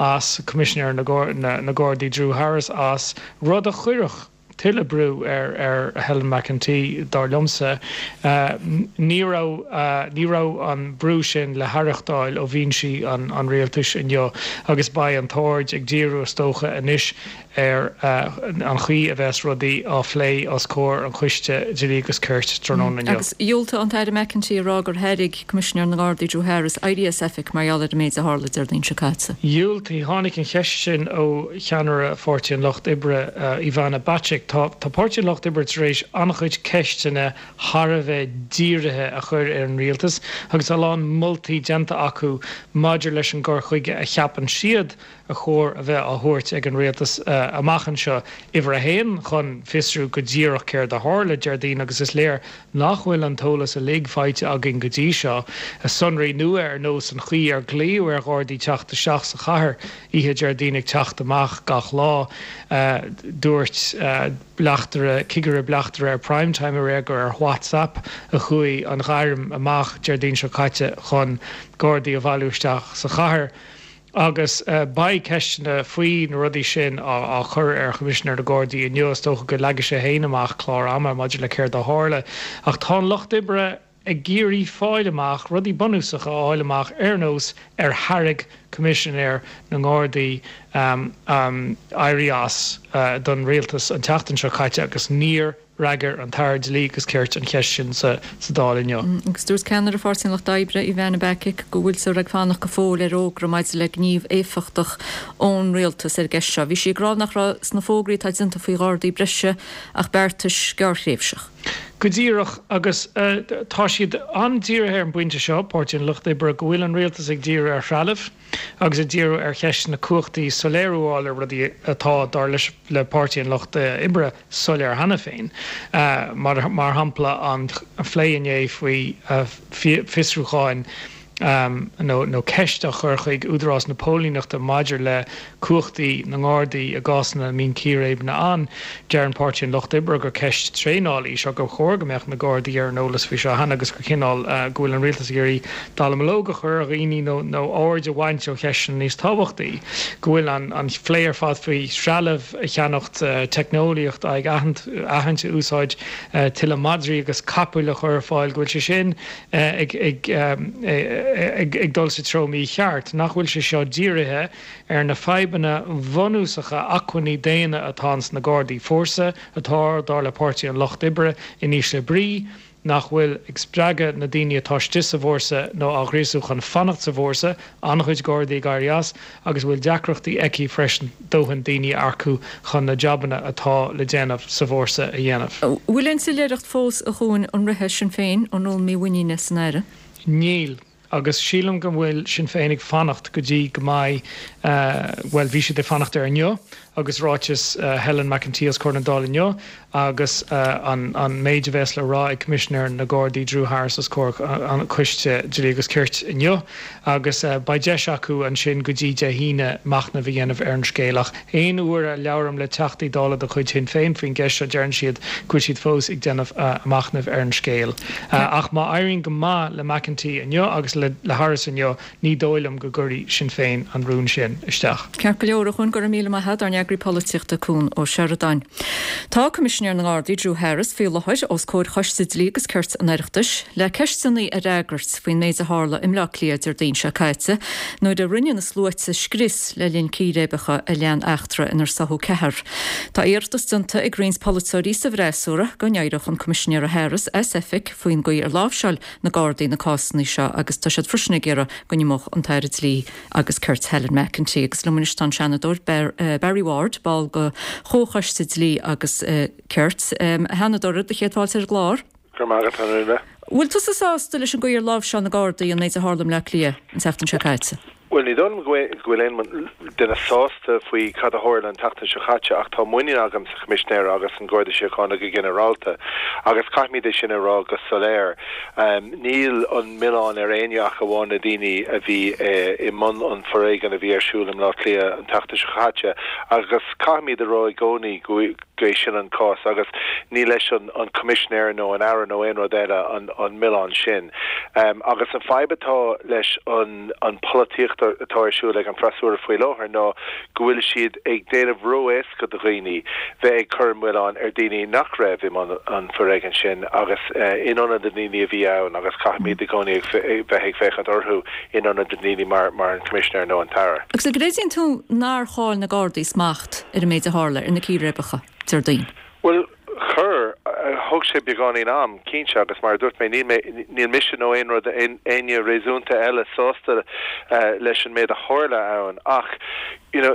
as, Coimisinéir na Gardaí Drew Harris, as, rud a chuirfeadh tuilleadh brú ar Helen McEntee, dar liomsa. Ní raibh ní raibh an brú sin le haireachtáil ó bhinsí an rialtais inniu agus beidh an t-aird ag díriú, is dócha, anois ar an chaoi a bheas rudaí á phlé os comhair an Choiste Dlí agus Cirt tráthnóna inniu. Agus dhiúltaigh an tAire McEntee a rá gur thairg Coimisinéir na nGardaí Drew Harris éirí as oifig mar gheall ar an méid a tharla Déardaoin seo caite. Dhiúltaigh. Tháinig an cheist sin ó cheannaire Pháirtí an Lucht Oibre, Ivana Bacik. Tá Páirtí an Lucht Oibre tar éis an-chuid ceisteanna thar a bheith dírithe a chur ar an rialtas agus a lán moltaí déanta acu maidir leis an gcur chuige a cheapann siad a chóir a bheith á thabhairt ag an rialtas amach anseo. Uimhir a haon, chun fiosrú go díreach céard a tharla Déardaoin agus is léir nach bhfuil an t-eolas uilig faighte againn go dtí seo. Sonraí nua ar nós an chaoi ar glaodh ar Ghardaí teacht isteach sa chathair oíche Déardaoin ag teacht amach gach lá. Dúirt. Bleachtaire, Cigire Bleachtaire ar Prime Time aréir gur ar WhatsApp a chuaigh an ghairm amach Déardaoin seo caite chun Gardaí a bhailiú isteach sa chathair. Agus beidh ceisteanna faoi na rudaí sin á chur ar Choimisinéir na Gardaí inniu. Is dócha go leagfaidh sé féin amach clár ama maidir le céard a tharla. Ach tá an Lucht Oibre ag iarraidh fáil amach, rudaí bunúsacha a fháil amach ar nós ar thairg Coimisinéir na nGardaí éirí as don rialtas an tseachtain seo caite agus níor fhreagair an tAire Dlí agus Cirt an cheist sin sa Dáil inniu. Agus dúirt ceannaire Pháirtí an Lucht Oibre, Ivana Bacik, go bhfuiltear ag fanacht go fóill ar fhógra maidir le gníomh éifeachtach ón rialtas ar an gceist seo. Bhí sí ag rá nach raibh sna fógraí atá déanta faoi Ghardaí breise ach beartais gearrthréimhseach. Go díreach, agus tá siad an-dírithe ar an bpointe seo, Páirtí an Lucht Oibre, go bhfuil an rialtas ag díriú ar threalamh agus ag díriú ar cheist na cumhachtaí, soiléiriú a fháil ar rudaí atá, dar leis, le Páirtí an Lucht Oibre, soiléir cheana féin. Mar shampla, an phlé inné faoi fiosrúcháin nó ceist a chur chuig Údarás na Póilíneachta maidir le cumhachtaí na nGardaí i gcásanna a mbíonn círéibeanna ann. Deireann Páirtí an Lucht Oibre gur ceist traenála í seo, gur chóir go mbeadh na Gardaí ar an eolas faoi seo cheana agus gur cineál go bhfuil an rialtas ag iarraidh dallamullóg a chur ar dhaoine nó nó aird a bhaint ó cheisteanna níos tábhachtaí. Go bhfuil an phlé ar fad faoi threalamh a cheannacht, teicneolaíocht aghaidh a aithint a úsáid, tuilleadh madraí agus capaill a chur ar fáil, go bhfuil sé sin ag dul sa treo mícheart, nach bhfuil sé seo dírithe ar na fadhbanna bhunúsacha acmhainní daonna atá ins na Gardaí, fórsa atá, dar le Páirtí an Lucht Oibre, in ísle brí, nach bhfuil ag spreagadh na daoine atá istigh sa bhfórsa nó á ghríosú chun fanacht sa bhfórsa, an-chuid Gardaí ag éirí as, agus a bhfuil deacrachtaí aici freisin dóthain daoine a earcú chun na jabanna atá le déanamh sa bhfórsa a dhéanamh. Bhfuil aon soiléireacht fós, a Chuain, an rithfidh Sinn Féin an rún mímhuiníne san Aire? Níl. Agus sílim go bhfuil Sinn Féin ag fanacht go dtí go mbeidh, bhuel, bhí siad ag fanacht ar inniu agus ráiteas Helen McEntee os comhair na Dála inniu agus an méid a bheas le rá ag Coimisinéir na Gardaí Drew Harris os comhair an Choiste Dlí agus Cirt inniu agus beidh deis acu ansin go dtí Dé hAoine machnamh a dhéanamh ar an scéal. Ach aon uair a labhraím le Teachtaí Dála de chuid Shinn Féin faoin gceist seo deireann siad go bhfuil siad fós ag déanamh a machnaimh ar an scéal. Ach má éiríonn go maith le McEntee inniu agus le Harris inniu, Ní dóigh liom go gcuirfidh Sinn Féin an rún sin isteach. Ceart go leor, a Chuain, go raibh míle maith agat, ár n-eagraí polaitíochta Cuan Ó Seireadáin. Tá Coimisinéir na nGardaí, Drew Harris, faoi láthair os comhair Choiste Dlí agus Cirt an Oireachtais le ceisteanna a fhreagairt faoin méid a tharla i mBleá Cliath Déardaoin seo caite nuair a rinne na sluaite scrios le linn círéibeacha a lean eachtra inar sáthadh ceathrar. Tá iarratas déanta ag roinnt polaiteoirí sa bhfreasúra go n-éireodh an Coimisinéir Harris as oifig faoin gcaoi ar láimhseáil na Gardaí na cásanna seo agus tá siad freisin ag iarraidh go n-imeodh an tAire Dlí agus Cirt Helen McEntee. Agus liom anois tá an Seanadóir Barry Ward, ball de Chomhchoiste Dlí agus Cirt. A Sheanadóra, do chéad fáilte ar an gclár. Go raibh maith agat, a Úna. Bhfuil tusa sásta leis an gcaoi ar láimhseáil na Gardaí an méid a tharla i mBleá Cliath an tseachtain seo caite? Bhuel, ní dóigh liom go bhfuil aon duine sásta faoi cad a tharla an tseachtain seo caite ach tá muinín agam sa Choimisinéir agus an Garda Síochána go ginearálta agus caithfimid é sin a rá go soiléir. Níl an milleán ar éinne ach amháin na daoine a bhí i mbun an foréigin a bhí ar siúl i mBleá Cliath an tseachtain seo caite agus caithfimid a rá i gcónaí go é sin an cás agus ní leis an Coimisinéir nó an Aire nó aon rud eile an milleán sin. Agus an fadhb atá leis an an polaitíocht atá ar siúl ag an freasúra faoi láthair ná go bhfuil siad ag déanamh ró-éasca do dhaoine bheith ag cur an mhilleáin ar daoine nach raibh i mbun an foréigin sin agus in ionad na ndaoine a bhí ann agus caithfimid i gcónaí bheith ag féachaint orthu in ionad na ndaoine mar mar an Coimisinéir nó an tAire. Agus an gcreideann tú nár chaill na Gardaí smacht ar an méid a tharla, ar na círéibeacha, Déardaoin? Bhuel, chuir. Thóg sé beagáinín am, cinnte, agus mar a dúirt mé, níl mé, níl mise nó aon rud, éinne réasúnta eile sásta leis an méid a tharla ann ach, you know,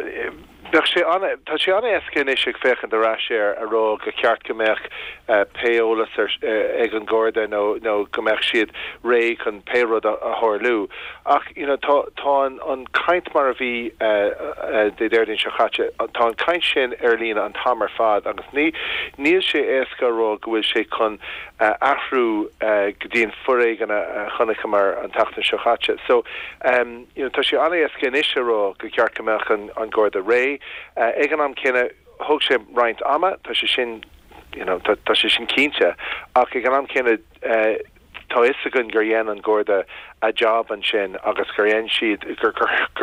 bheadh sé an, tá sé an-éasca anois ag féachaint ar ais air a rá gur cheart go mbeadh pé eolas ar, ag an Gharda nó, nó go mbeadh siad réidh chun pé rud a tharlú. Ach, you know, tá, tá an, an chaint mar a bhí Dé Déardaoin seo caite, tá an chaint sin ar líne an t-am ar fad agus ní, níl sé éasca a rá go bhfuil sé chun athrú go dtí an foréigean a chonaiceamar an tseachtain seo caite. So, you know, tá sé an-éasca anois a rá gur cheart go mbeadh an, an Garda réidh. Ag an am céanna. thóg sé roinnt ama, tá sé sin, you know, tá sé sin cinnte, ach ag an am céanna tá fhios againn gur dhein an Garda a job ansin agus gur dhein siad, gur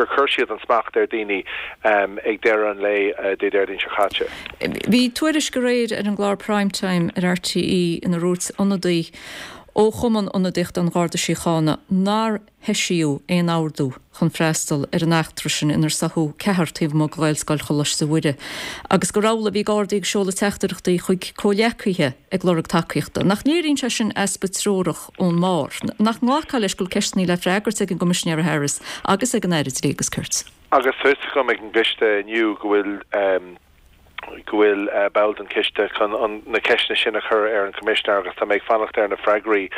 chuir siad an smacht ar daoine ag deireadh an lae Dé Déardaoin seo caite. Bhí tuairisc aréir ar an gclár Prime Time ar RTÉ inar dhúirt ionadaí ó Chumann Ionadaíochta an Gharda Síochána nár heisíodh aon ordú chun freastal ar an eachtra sin inar sáthadh ceathrar taobh amuigh de Ghaelscoil Choláiste Mhuire agus gur amhlaidh a bhí Gardaí ag seoladh teachtaireachtaí chuig comhghleacaithe ag lorg tacaíochta. Nach léiríonn sé sin easpa treorach ón mbarr? Nach nglacfá leis go bhfuil ceisteanna le freagairt ag an gCoimisinéir Harris agus ag an Aire Dlí agus Cirt? Agus tá fhios agam ag an gcoiste inniu go bhfuil. go bhfuil ball den choiste chun na ceisteanna sin a chur ar an Choimisinéir agus tá mé ag fanacht ar na freagraí.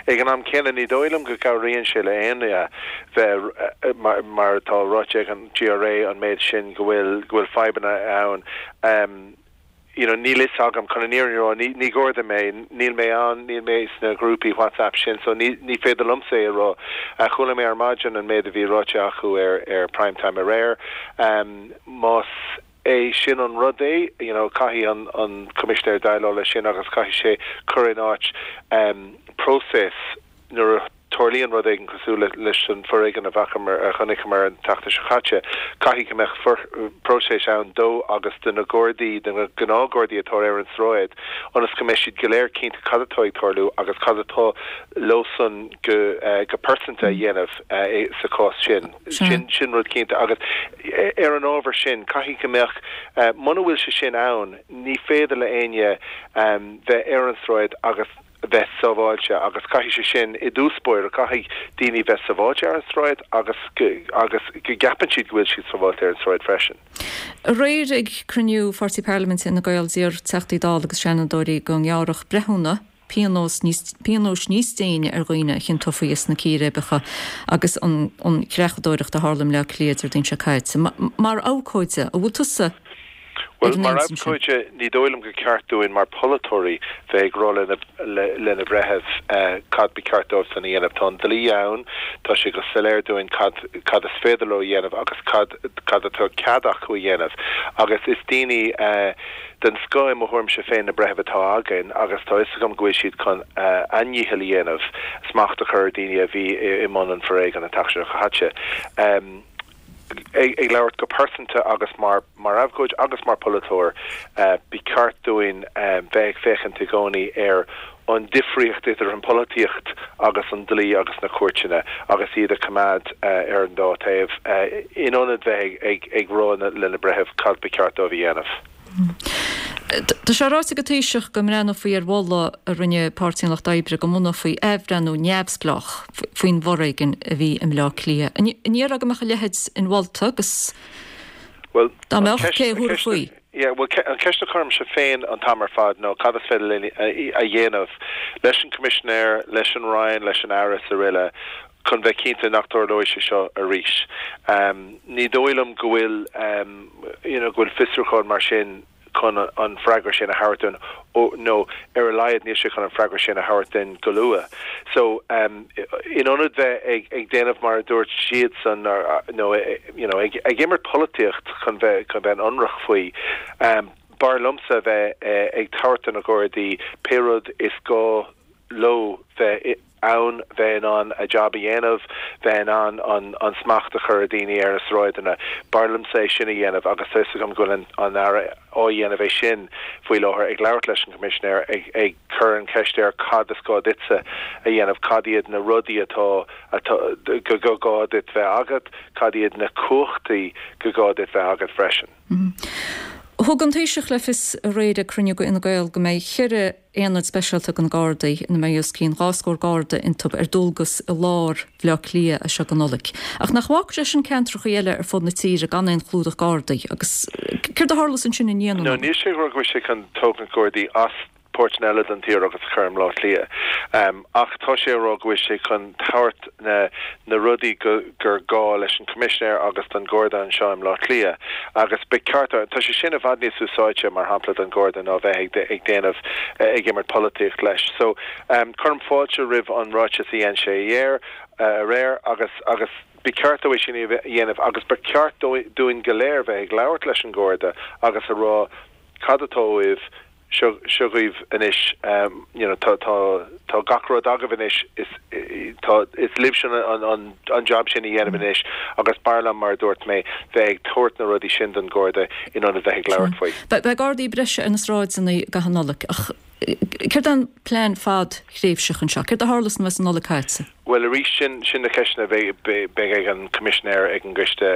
Ag an am céanna, ní dóigh liom go gcabhraíonn sé le éinne bheith, mar atá ráite ag an GRA, an méid sin go bhfuil, go bhfuil fadhbanna ann. You know, níl fhios agam, chun an fhírinne a rá, ní, ní Garda mé, níl mé ann, níl mé sna grúpaí WhatsApp sin, so ní, ní féidir liomsa é a rá. Chuala mé ar maidin an méid a bhí ráite acu ar, ar Prime Time aréir. Más. é sin an rud é, you know, caithfidh an, an Coimisinéir déileáil leis sin agus caithfidh sé cur in áit próiseas nuair a tarlaíonn rud éigin cosúil le, leis an foréigean a bhfacamar, a chonaiceamar an tseachtain seo caite, caithfidh go mbeadh for, próiseas ann dó agus do na Gardaí, do na gnáthGhardaí atá ar an sráid, ionas go mbeidh siad go léir cinnte cad atá ag tarlú agus cad atá leosan go, go pearsanta a dhéanamh sa chás sin. Sin, sin rud cinnte agus ar an ábhar sin, caithfidh go mbeadh, muna bhfuil sé sin ann, ní féidir le éinne bheith ar an sráid agus bheith sábháilte agus caithfidh sé sin, i dtús báire, caithfidh daoine bheith sábháilte ar an sráid agus go, agus go gceapann siad go bhfuil siad sábháilte ar an sráid freisin. Aréir ag cruinniú Pháirtí Parlaiminte Fhine Gael d'iarr Teachtaí Dála agus Seanadóirí go ngearrfadh breithiúna, pionós níos pionóis níos déine ar dhaoine a chiontófaí as na círéibeacha agus an an chreachadóireacht a tharla i mBleá Cliath Déardaoin seo caite. Mar abhcóide, an bhfuil tusa ar Bhuel, an mar intinn sin? abhcóide, ní dóigh liom gur ceart dúinn mar pholaiteoirí bheith ag rá le le le na breithimh cad ba cheart dóibhsan a dhéanamh. Tá an dlí ann, tá sé go soiléir dúinn cad cad is féidir leo a dhéanamh agus cad cad atá cead acu a dhéanamh. Agus is daoine Den scoth i mo thuairimse féin na breithimh atá againn agus tá fhios agam go bhfuil siad chun a ndícheall a dhéanamh smacht a chur ar daoine a bhí i mbun an foréigin an tseachtain seo caite. Ag labhairt go pearsanta agus mar mar abhcóid agus mar pholaiteoir, ba cheart dúinn bheith ag féachaint i gcónaí ar an difríocht idir an pholaitíocht agus an dlí agus na cúirteanna agus iad a choimeád ar an dá taobh in ionad bheith ag rá le na breithimh cad ba cheart dóibh a dhéanamh. Tá sé ráite ag an Taoiseach go mbreathnófaí ar mholadh a rinne Páirtí an Lucht Oibre go mbunófaí athbhreithniú neamhspleách faoin bhforéigean a bhí i mBleá Cliath. An ndéarfá go mbeadh a leithéid inmholta agus dá mbeadh, cé a thabharfaí? Yeah, bhuel, an cheist a chuirimse féin an t-am ar fad ná cad is féidir linn a dhéanamh leis an Coimisinéir, leis an Roinn, leis an Aire is aroile chun bheith cinnte nach dtarlóidh sé seo arís. Ní dóigh liom go bhfuil, you know, go bhfuil fiosrúchán mar sin chun an freagra sin a thabhairt dúinn, nó ar a laghad níl sé chun an freagra sin a thabhairt dúinn go luath. So, in ionad bheith ag, ag déanamh mar a dúirt siadsan, nó, you know, ag, ag imirt polaitíocht chun bheith, chun bheith ionraic faoi, b'fhearr liomsa bheith ag tabhairt do na Gardaí pé rud is gá leo bheith ann, bheith in ann a job a dhéanamh, bheith in ann an an smacht a chur ar dhaoine ar na sráideanna. B'fhearr liomsa é sin a dhéanamh agus tá fhios agam go bhfuil an an Aire á dhéanamh é sin faoi láthair, ag labhairt leis an Choimisinéir, ag ag cur an cheist air cad is gá duitse a dhéanamh, cad iad na rudaí atá atá go go gá duit bheith agat, cad iad na cumhachtaí go gá duit bheith agat freisin. Thug an Taoiseach le fios aréir ag cruinniú de Fhine Gael go mbeidh cheithre aonad speisialta de na Gardaí, ina mbeidh os cionn 20 scór Garda iontu, ar dualgas i lár Bhaile Átha Cliath as seo go Nollaig. Ach nach bhfágfaidh sé sin ceantracha eile ar fud na tíre gan aon chlúdach Gardaí? Agus céard a tharlós ansin i ndiaidh na No, Nollag? níl sé ag rá go bhfuil sé chun tógaint Gardaí as páirteanna eile den tír agus a chur i mBleá Cliath. Ach tá sé ag rá go bhfuil sé chun tabhairt na na rudaí go gur gá leis an Choimisinéir agus don Gharda anseo i mBleá Cliath. Agus ba cheart, tá sé sin i bhfad níos úsáidte, mar shampla, don Gharda ná bheith ag ag déanamh, ag imirt polaitíocht leis. So, cuirim fáilte roimh an ráiteas a dhein sé aréir, aréir agus agus ba cheart dó é sin a dhéanamh agus ba cheart dúinn go léir bheith ag labhairt leis an Gharda agus a rá. cad atá uaibh, seo, seo dhaoibh anois, you know, tá, tá, tá gach rud agaibh anois, is, tá, is libhse an, an, an job sin a dhéanamh anois agus b'fhearr liom, mar a dúirt mé, bheith ag tabhairt na rudaí sin don Gharda in ionad bheith ag labhairt faoi. Beidh, beidh Gardaí breise ar na sráideanna i gcaitheamh na Nollag ach céard é an plean fadthréimhseach anseo? Céard a tharlós nuair a bheas an Nollaig caite? Bhuel, arís, sin, sin na ceisteanna a bheidh, beidh ag an Coimisinéir ag an gCoiste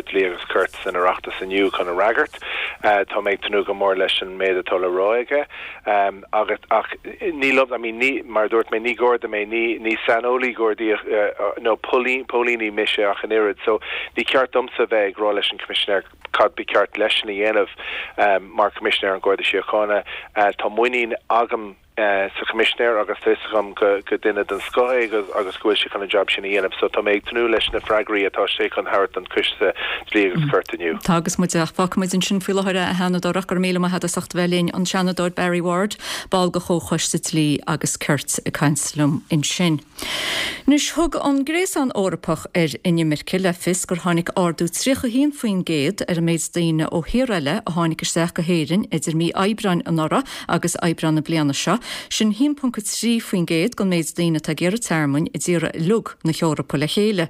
Dlí agus Cirt san Oireachtas inniu chun a fhreagairt. Tá mé ag tnúth go mór leis an méid atá le rá aige. Agus, ach ní liom, I mean, ní, mar a dúirt mé, ní Garda mé, ní, ní saineolaí Gardaí nó póilíní mise ach an oiread. So, ní ceart domsa bheith ag rá leis an Choimisinéir cad ba cheart leisean a dhéanamh mar Choimisinéir an Gharda Síochána. Tá muinín agam sa Choimisinéir agus tá fhios agam go duine den scoth é agus go bhfuil sé chun an jab sin a dhéanamh. So tá mé ag tnúth leis na freagraí atá sé chun thabhairt don Choiste Dlí agus Cirt inniu. Tá agus muid ach fágfaidh muid ansin faoi láthair é a Sheanadóir ach go raibh míle maith agat as ucht a bheith linn, an Seanadóir Barry Ward, ball de Chomhchoiste Dlí agus Cirt ag caint liom ansin. Anois, thug an Gréasán Eorpach ar Inimirce le fios gur tháinig ardú 31% ar an méid daoine ó thíortha eile a tháinig isteach go hÉirinn idir mí Aibreáin anuraidh agus Aibreán na bliana seo. Sin 1.3% den méid daoine atá ag iarraidh tearmainn i dtíortha uilig na hEorpa le chéile.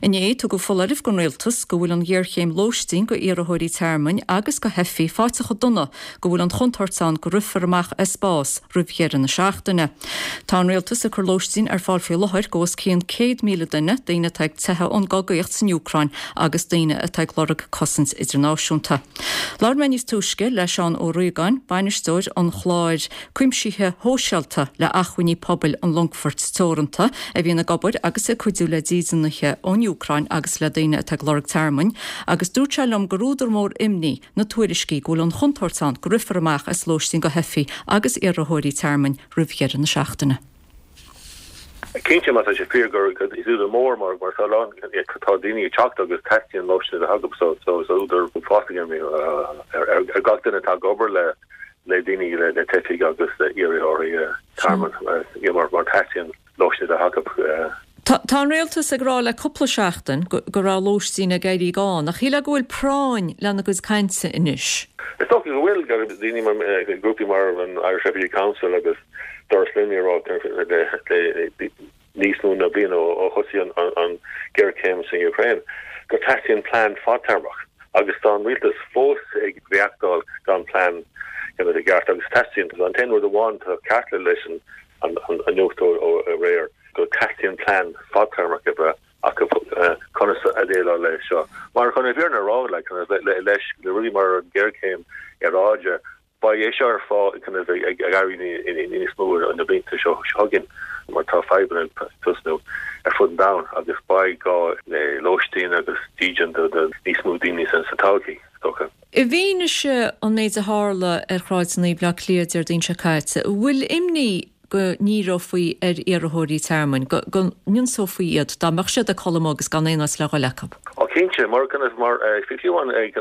Inné, tugadh foláireamh don rialtas go bhfuil an ghéarchéim lóistín go iarrthóirí tearmainn agus go theifigh faighte chomh dona go bhfuil an chontúirt ann go rithfear amach as spás roimh dheireadh na seachtaine. Tá an rialtas ag cur lóistín ar fáil faoi láthair go os cionn 100,000 duine, daoine atá ag teitheadh ón gcogaíocht san Úcráin agus daoine atá ag lorg cosaint idirnáisiúnta. Labhair mé níos túisce le Seán Ó Riagáin, bainisteoir an chláir cuimsithe shóisialta le Acmhainní Pobail an Longfoirt Teoranta, a bhíonn ag obair agus ag cuidiú le dídeanaithe ón Úcráin agus le daoine atá ag lorg tearmainn, agus dúirt sé liom gur údar mór imní na tuairiscí go bhfuil an chontúirt ann go rithfear amach as lóistín go theifigh agus iarrthóirí tearmainn roimh dheireadh na seachtaine. Cinnte, má tá sé fíor gur is údar mór mar mar tá lán tá daoine ag teacht agus teastaíonn lóistín a bheith acu so so is údar uafásach imní ar ar gach duine atá ag obair le le daoine le le teifigh agus iarrthóirí tearmainn mar mar teastaíonn lóistín a bheith acu. Tá an rialtas ag rá le cúpla seachtain go raibh lóistín ag éirí gann, ach shílfeá go bhfuil práinn lena gcuid cainte anois. Is dócha go bhfuil, daoine mar, grúpaí mar an Irish Refugee Council agus Doras Luimnigh ag rá le níos mó ná bliain ó thosaigh an ghéarchéim san Úcráin go teastaíonn plean fadtéarmach agus tá an rialtas fós ag reachtáil gan plean i gceart agus teastaíonn an t-aon rud amháin atá ceart leis an an nuacht ó aréir go dteastaíonn plean fadtéarmach a bheith acu conas a dhéileáil leis seo. Mar chun an fhírinne a rá, like, leis le rudaí mar an ghéarchéim aeráide, beidh é seo ar fáil kind of ag éirí níos mó na blianta seo chugainn mar tá fadhbanna ag tosnú ar fud an domhain agus beidh gá le lóistín agus dídean do níos mó daoine sa todhchaí, is dócha. I bhfianaise an méid a tharla ar shráideanna Bhaile Átha Cliath Déardaoin seo caite, an bhfuil imní go ndíreofaí ar iarrthóirí tearmainn, go n-ionsófaí iad dá mbeadh siad ag codladh amuigh agus gan aon áit le dhul acu? Ó cinnte, mar kind of mar fiú amháin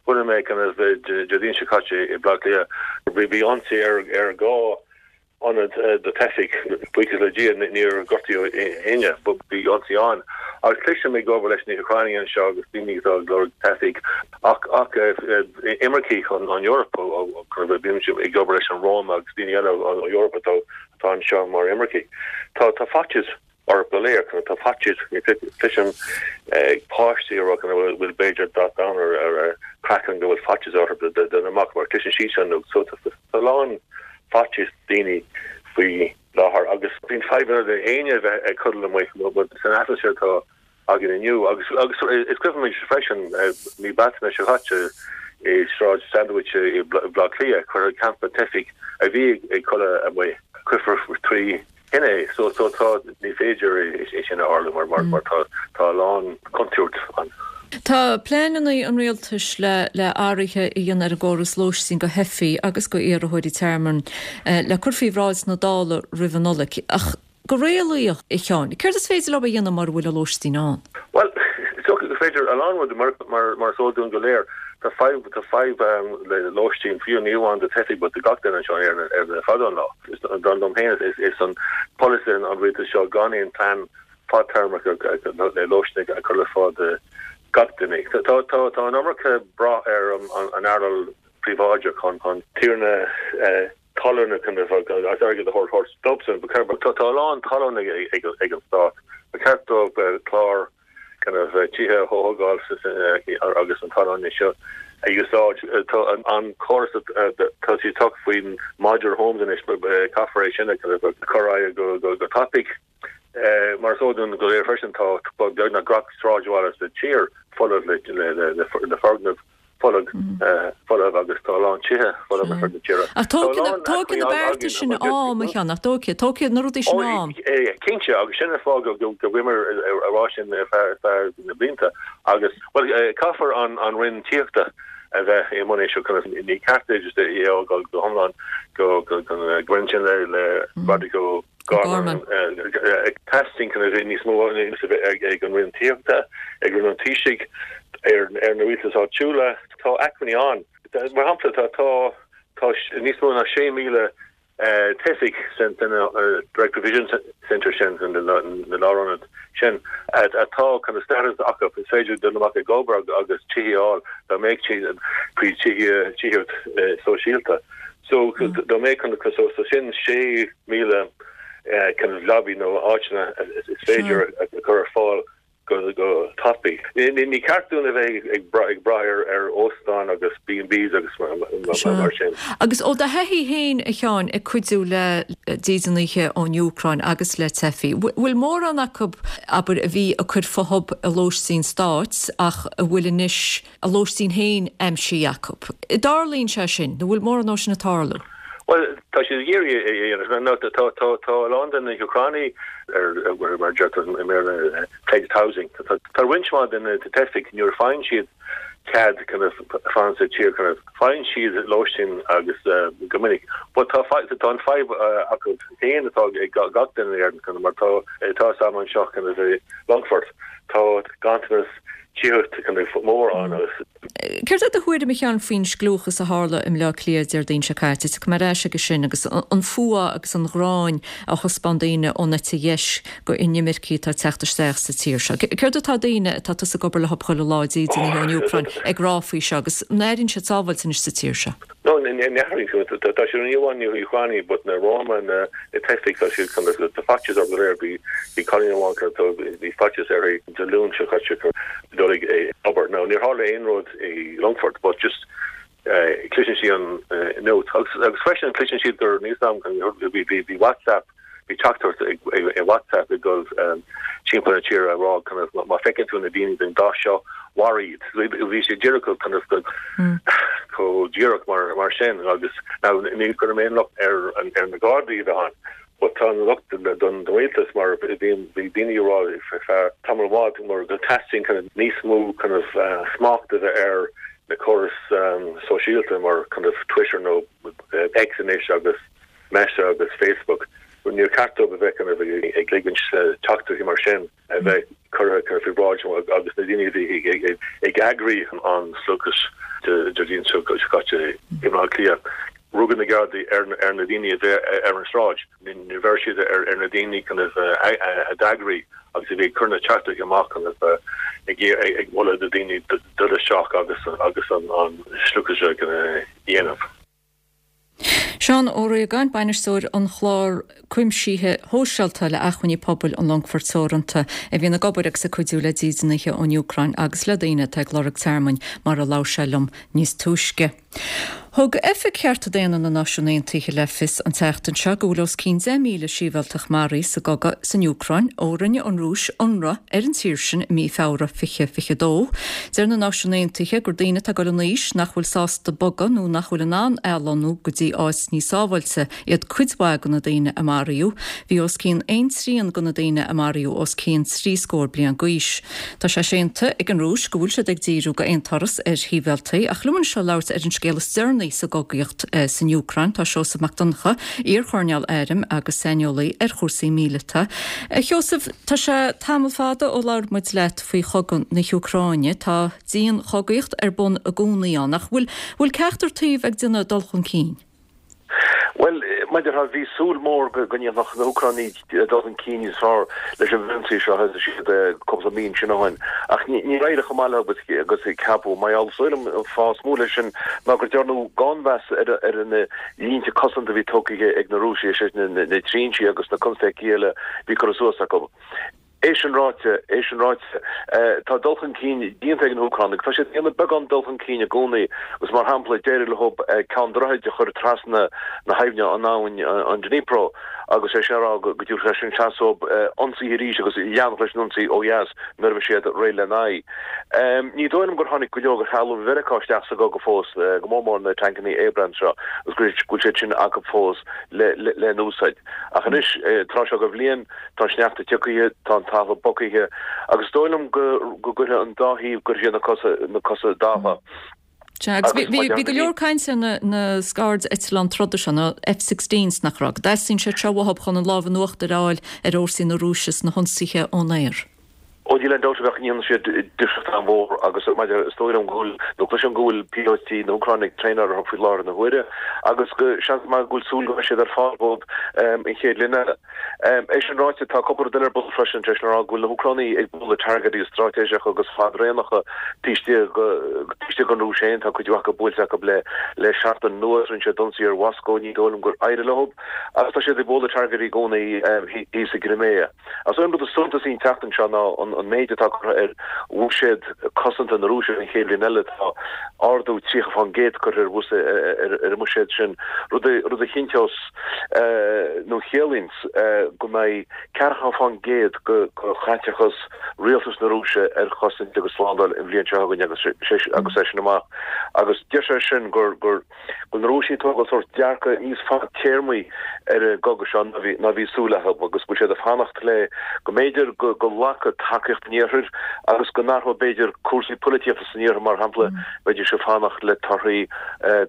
chonaic mé kind of Déardaoin seo caite i Baile Átha Cliath, bhí ionsaí ar 2 ionad do theifigh. Buíochas le Dia níor gortaíodh éinne but bhí ionsaí ann. Agus cloisim ag obair leis na hÚcránaigh anseo agus daoine atá ag lorg teifigh ach ach imircigh ón Eoraip bímse ag obair leis an Roma agus daoine eile ón Eoraip atá atá anseo mar imircigh. Tá tá faitíos orthu go léir tá faitíos cloisim páistí ag rá go bhfuil b'fhéidir dath donn ar ar a gcraiceann go bhfuil faitíos orthu dul amach mar cloiseann siad sin so tá a lán faitíos daoine faoi láthair agus bíonn fadhbanna le éinne a bheith ag codladh amuigh san atmaisféar atá againn inniu. Agus agus is cuimhin liom freisin mí Bealtaine seo caite i Sráid Sandwich i Baile Átha Cliath cuireadh campa teifigh a bhí ag codladh amuigh cuirfear trí thine é. So so tá ní féidir é sin a tharlú mar mar mar tá tá a lán contúirt ann. Tá pleananna an rialtais le le athruithe a dhéanamh ar an gcóras lóistín do theifigh agus do iarrthóirí tearmainn le cur faoi bhráid na Dála roimh an Nollaig. Ach go réalaíoch, a Sheáin, céard is féidir leo a dhéanamh mura bhfuil an lóistín ann? Bhuel, is dócha gur féidir a lán rudaí, mar mar is eol dúinn go léir, tá fadhb tá fadhb le lóistín, fiú ní amháin do theifigh but do gach duine anseo in Éirinn ar fada an lá. Dar liom féin is is an polasaí an rialtais seo gan aon plean fadtéarmach le lóistín a chur le fáil do gach duine. Tá tá tá an iomarca brath ar an an earnáil. príobháideach chun tiarna talún kind of agus airgead a thabhairt dóibhsan. Tá a lán talún ag an stát. Ba cheart dóibh clár kind of tithe a thógáil agus an talún seo a úsáid. Tá an córas tá siad ag trácht faoin modular homes anois, caithfear é sin a kind of chur ar aghaidh go tapaidh. Mar is eol dúinn go léir freisin, tá beagnach gach sráidbhaile sa tír folamh le foirgnimh folamh folamh agus tá a lán tithe folamh ar fud na tíre. Ach tógfaidh na bearta sin am, a Sheáin, nach dtógfaidh? Tógfaidh na rudaí sin am. Cinnte, agus sin an fáth go bhfuilimid ag rá sin ar feadh na blianta. Agus, bhuel, caithfear an Roinn Tithíochta a bheith i mbun é seo, ní ceart é just é a fhágáil go hiomlán go roinn sin le Roderic O'Gorman. Gorman. Teastaíonn kind of níos mó a bheith ag an Roinn Tithíochta, ag Roinn an Taoisigh, ar na rialtais áitiúla. Tá acmhainní ann. Mar shampla, tá tá níos mó ná 6,000 teifigh san Direct Provision Centre sin, na lárionaid sin, atá kind of status acu. Is féidir dul amach ag obair agus tithe a fháil dá mbeadh faoi tithíocht sóisialta. So dá mbeadh kind of so sin 6,000 kind of leabaí nó áiteanna is féidir a chur ar fáil go go tapaidh. Ní ceart dúinn a bheith ag brath ar óstáin agus B&Bs agus mar sin. Agus ó do thaithí féin, a Sheáin, ag cuidiú le dídeanaithe ón Úcráin agus le teifigh, bhfuil mórán acu, abair, a bhí ag cur fúthu i lóistín stáit ach a bhfuil anois a lóistín féin aimsithe acu. An dtarlaíonn sé sin, nó bhfuil mórán dó sin ag tarlú? Bhuel, tá siad ag iarraidh é a dhéanamh. Tá, tá, tá a lán de na hÚcránaigh ar, mar a deirtear i mBéarla, pledged housing. Tá, tá roinnt mhaith de na teifigh, nuair a faigheann siad cead kind of fanacht sa tír, kind of, faigheann siad lóistín agus go minic. But tá, tá an fadhb acu féin atá ag gach duine in Éirinn, kind of, mar tá, tá a fhios agam anseo kind of i Longfort, tá ganntanas tithíochta kind of mór ann agus. Céard é do thuairim, a Sheáin, faoin scliúchas a tharla i mBleá Cliath Déardaoin seo caite? Tiocfaidh mé ar ais aige sin agus an fuath agus an ghráin a thaispeáin daoine ón eite dheis go inimircigh atá ag teacht isteach sa tír seo. Céard atá daoine atá tusa ag obair leo chuile lá, dídeanaithe ón Úcráin, ag rá faoi seo agus an airíonn siad sábháilte anois sa tír seo? No, ní airíonn. Tá siad ní amháin na hÚcránaigh but na Roma, na teifigh, tá siad kind of, tá faitíos orthu go léir. Bhí bhí cailín amháin kind of, bhí faitíos uirthi Dé Luain seo caite kind of dul ag obair. Now níor tharla aon rud i Longfort but just cloiseann sí an nuacht agus agus freisin cloiseann siad gur níl a fhios agam bhí bhí bhí WhatsApp Bhí teachtaireacht i WhatsApp ag dul timpeall na tíre ag rá kind of má feiceann tú na daoine den dath seo, maraigh iad. Bhí sé díreach kind of chomh díreach mar sin agus now ní chuirim aon locht ar na Gardaí a bheith ann but tá an locht don rialtas mar bhí daoine ag rá ar feadh tamall maith mar go teastaíonn kind of níos mó kind of smacht a bheith ar na córais sóisialta mar kind of Twitter nó X anois agus Meta agus Facebook, níor cheart dóibh a bheith kind of ag ligint teachtaireachtaí mar sin a bheith curtha kind of faoi bhráid agus na daoine a bhí ag eagraí an slógadh Déardaoin seo caite i mBaile Átha Cliath. Rugadh na Gardaí ar na daoine a bhí ar an sráid. Níor bheir siad ar na daoine kind of a d'eagraigh agus a bhí ag cur na teachtaireachtaí amach kind of ag moladh do dhaoine dul isteach agus an slógadh seo a dhéanamh. Seán Ó Riagáin, Bainisteoir an Chláir Cuimsithe Shóisialta le Acmhainní Pobail an Longfoirt Teoranta, a bhíonn ag obair agus ag cuidiú le dídeanaithe ón Úcráin agus le daoine atá ag lorg tearmainn, mar a labhair sé liom níos túisce. Thug Oifig Chearta Daonna na Náisiún Aontaithe le fios an tseachtain seo go bhfuil os cionn 10,000 sibhialtach maraithe sa gcogadh san Úcráin ó rinne an Rúis ionradh ar an tír sin i mí Feabhra 2022. Deir na Náisiúin Aontaithe gur daoine atá ag dul in aois, nach bhfuil sásta bogadh nó nach bhfuil in ann athlonnú go dtí áit níos sábháilte iad cuid mhaith de na daoine a maraíodh. Bhí os cionn aon trian de na daoine a maraíodh os cionn trí scór bliain d'aois. Tá sé séanta ag an Rúis go bhfuil siad ag díriú d'aon turas ar shibhialtaigh ach liom anseo labhairt ar an scéal is deireanaí sa gcogaíocht san Úcráin tá Seosamh Mac Donncha, iar-choirnéal airm agus saineolaí ar chúrsaí míleata. A Sheosaimh, tá sé tamall fada ó labhair muid leat faoi chogadh na hÚcráine. Tá dian-chogaíocht ar bun i gcónaí ann, ach bhfuil, bhfuil ceachtar taobh ag déanamh dul chun cinn? Bhuel, mar a déarfá, bhí súil mhór go ndéanfadh na hÚcránaigh dul chun cinn níos fearr leis an bhfrionsaí seo a thosaigh siad cúpla mí ansin ó shin, ach níor éirigh chomh maith leo agus a ceapadh. Mar gheall, is dóigh liom, an fáth is mó leis sin ná gur dearnadh gannmheas ar na línte cosanta a bhí tógtha ag na Rúisigh, is é sin na trinsí agus na constaicí eile a bhí curtha suas acu. É sin ráite, é sin ráite, tá dul chun cinn déanta ag na hÚcránaigh. Tá siad ag déanamh beagán dul chun cinn i gcónaí agus, mar shampla, d'éirigh leo ceann droichid a chur trasna na haibhne, an abhainn, an Dnipro, agus é sin a rá go dtabharfadh sé sin seans dóibh ionsaithe arís agus leanfadh leis an ionsaí ó dheas nuair a bheidh siad réidh lena aghaidh. Ní dóigh liom gur tháinig go leor de threalamh Mheiriceá isteach sa gcogadh fós, go mór mór na tancannaí Abrams seo, agus go bhfuil siad sin acu fós le n-úsáid. Ach anois, tráth seo de bhliain, Tá an sneachta tiocfaithe, tá an talamh bogaithe agus is dóigh liom go gcuirfidh an dá thaobh, go gcuirfidh siad na cosa, na cosa i dtaca. Sea, agus bhí, bhí go leor cainte ar na, na scaird-eitleáin troda seo, na F-sixteens, nach raibh, go dteastaíonn siad seo uathub chun an lámh in uachtar a fháil ar fhórsaí na Rúise sna hionsaithe ón aer. Ó níl aon dabht go ndéanann siad difríocht an-mhór agus maidir, is dóigh liom go bhfuil, nó cloisim go bhfuil píolótaí na hÚcráine ag traenáil orthu faoi láthair na huaire agus go, seans maith go bhfuil súil go mbeidh siad ar fáil dóibh an chéad bhliain eile. É sin ráite, tá cúpla rud eile ar bun freisin, sé sin a rá go bhfuil na hÚcránaigh ag bualadh targaidí straitéiseacha agus fadraonacha taobh istigh, taobh istigh den Rúis féin, tá cuid mhaith acu buailte acu le, le seachtain anuas, rinne siad ionsaí ar Mhoscó, ní dóigh liom gur éirigh leo agus tá siad ag bualadh targaidí i gcónaí thíos i gCrimea. Is é an rud is suntasaí an tseachtain seo ná an méid atá curtha ar bhuiséad cosanta na Rúise don chéad bhliain eile. Tá ardú 30% curtha ar an mbuiséad sin, rud a chinnteos nó a chiallaíonns go mbeidh 40% de chaiteachas rialtas na Rúise ar chosaint agus slándáil an bhliain seo chugainn agus é sin amach. Agus deir sé sin gur. go bhfuil na Rúisigh ag tógáil sórt dearcadh níos fadtéarmaí ar an gcogadh seo ná bhí súil acu agus go bhfuil siad ag fanacht le go mb'fhéidir go nglacfaidh tacaíocht an Iarthair agus go n-athróidh b'fhéidir cúrsaí polaitíochta san Iarthar, mar shampla, bheidís ag fanacht le torthaí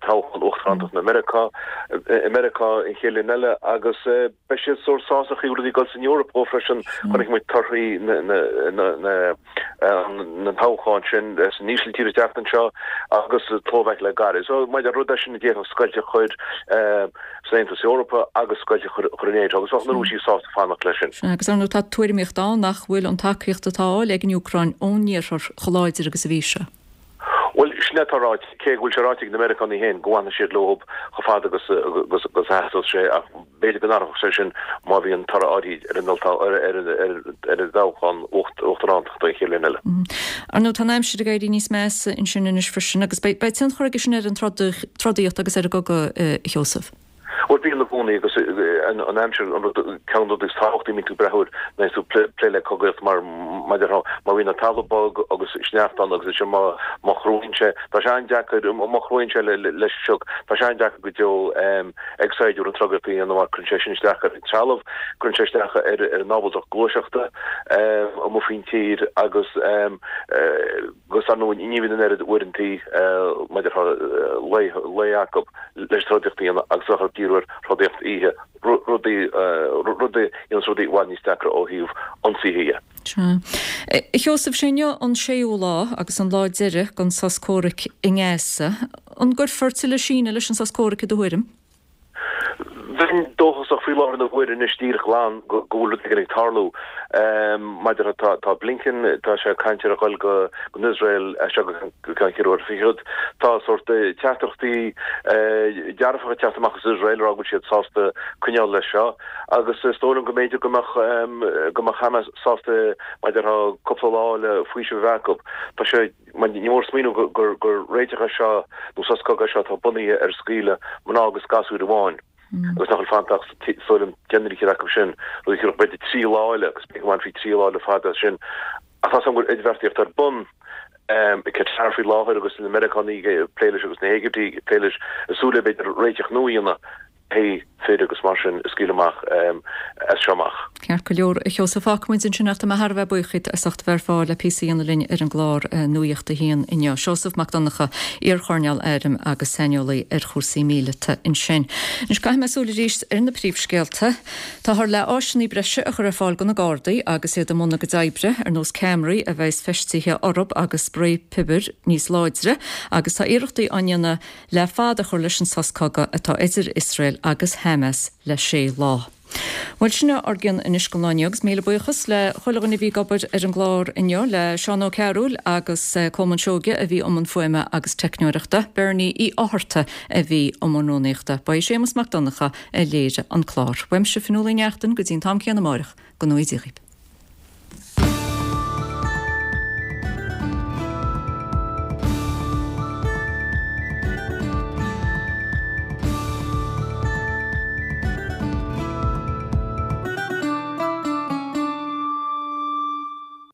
toghchán uachtaránachta na Meiriceá i Meiriceá an chéad bhliain eile agus beidh siad sórt sásta an chaoi a bhfuil rudaí ag dul san Eoraip dhó freisin. Chonaic muid torthaí na. na toghchán sin san Ísiltír an tseachtain seo agus sa tSlóvaic le gairid. So maidir rud é sin a d'fhéadfadh scoilt a chur san Aontas Eorpach agus scoilt a chur in NATO agus bheadh na Rúisigh sásta fanacht leis sin. Sea, agus ar ndóigh tá tuairimíocht ann nach bhfuil an tacaíocht atá á fháil ag an Úcráin ón Iarthar chomh láidir agus a bhí sé. Bhuel, sin é atá ráite, cé go bhfuil sé ráite ag na Meiriceánaigh féin go bhfanfaidh siad leo chomh fada agus a theastóidh sé ach b'fhéidir go n-athródh sé sin má bhíonn toradh áirid ar an ar an dtoghchán uachtarántachta an chéad bhliain eile. Ar ndóigh, tá an aimsir ag éirí níos measa ansin anois freisin agus beidh tionchar aige sin ar an trodaíocht agus ar an gcogadh, a Sheosaimh. Bhuel, bíonn i gcónaí agus an aimsir an rud, ceann de na rudaí is tábhachtaí a mbíonn tú ag breathnú air nuair atá tú ag plé le cogaíocht mar mar a déarfá má bhíonn an talamh bog agus sneachta ann agus ansin má má chruaíonn sé, tá sé an-deacair, má chruaíonn sé leis an sioc, tá sé an-deacair go deo ag saighdiúir an trogaíocht a dhéanamh mar cuireann sé sin isteach ar an trealamh, cuireann sé isteach ar ar an ábaltacht gluaiseachta amuigh faoin tír agus agus ar ndóigh ní bhíonn an oiread uaireantaí mar a déarfá lae lae acu leis an trodaíocht a dhéanamh agus bheadh orthu díriú ar throdaíocht oíche, rudaí rud a dhéananns rudaí i bhfad níos deacra ó thaobh ionsaithe dhe. Sea. A Sheosaimh, sé inniu an séú lá agus an lá deiridh den sos comhraic i nGaza. An gcuirfear tuilleadh síneadh leis an sos comhraic i do thuairim? Bheinn dóchasach faoi láthair na huaire anois díreach glan go bhfuil rud éigin ag tarlú. Maidir tá tá Blinken, tá sé ag caint ar a dhul go go Iosrael as seo go ceann ceithre huaire fichead. Tá sórt teachtaireachtaí dearfacha ag teacht amach as Iosrael ag rá go bhfuil siad sásta coinneáil leis seo agus is dóigh liom go mb'fhéidir go mbeadh go mbeadh Hamas sásta maidir tá cúpla lá le faoiseamh a bheith acu. Tá sé Ní mór smaoineamh gur réiteach é seo, nó sos cogaidh é seo atá bunaithe ar scaoileadh mná agus gasúir amháin, agus nach bhfuil fanta ach is dóigh liom deich nó fichead acu sin, rud a thiúrfadh b'fhéidir 3 lá eile, agus b'fhéidir go mbainfí 3 lá eile fada as sin. Ach tá a fhios agam go bhfuil idirbheartaíocht ar bun i Qatar faoi láthair agus na Meiriceánaigh ag plé leis agus na hÉigiptigh ag plé leis, ag súil le b'fhéidir réiteach nua a dhéanamh. pé fir agus mar sin a scaoileadh amach as seo amach. Ceart go leor, a Sheosaimh, fágfaidh muid ansin ach tá mé thar a bheith buíoch díot as ucht a bheith ar fáil le píosa a dhéanamh linn ar an gclár Nuacht a hAon inniu. Seosamh Mac Donncha, iar-choirnéal airm agus saineolaí ar chúrsaí míleata ansin. Anois caithfidh mé súil arís ar na príomhscéalta. Táthar le áiseanna breise a chur ar fáil do na Gardaí agus iad i mbun a gcuid oibre, ar nós ceamaraí a bheas feistithe orthu agus sprae piobair níos láidre agus tá iarrachtaí á ndéanamh le fad a chur leis an sos cogaidh atá idir Iosrael. agus Hamas le sé lá. Bhuel, sin é ár gcion anois don lá inniu agus míle buíochas le chuile dhuine a bhí ag obair ar an gclár inniu, le Seán Ó Cearúil agus Colmán Seoige a bhí i mbun fuaime agus teicneoireachta, Bernie Uí Fhátharta a bhí i mbun rúnaíochta. Ba é Séamus Mac Donncha a léirigh an clár. Uaimse Fionnuala Ní Neachtain go dtí an t-am céanna amáireach, go ngnóthaí Dia dhaoib.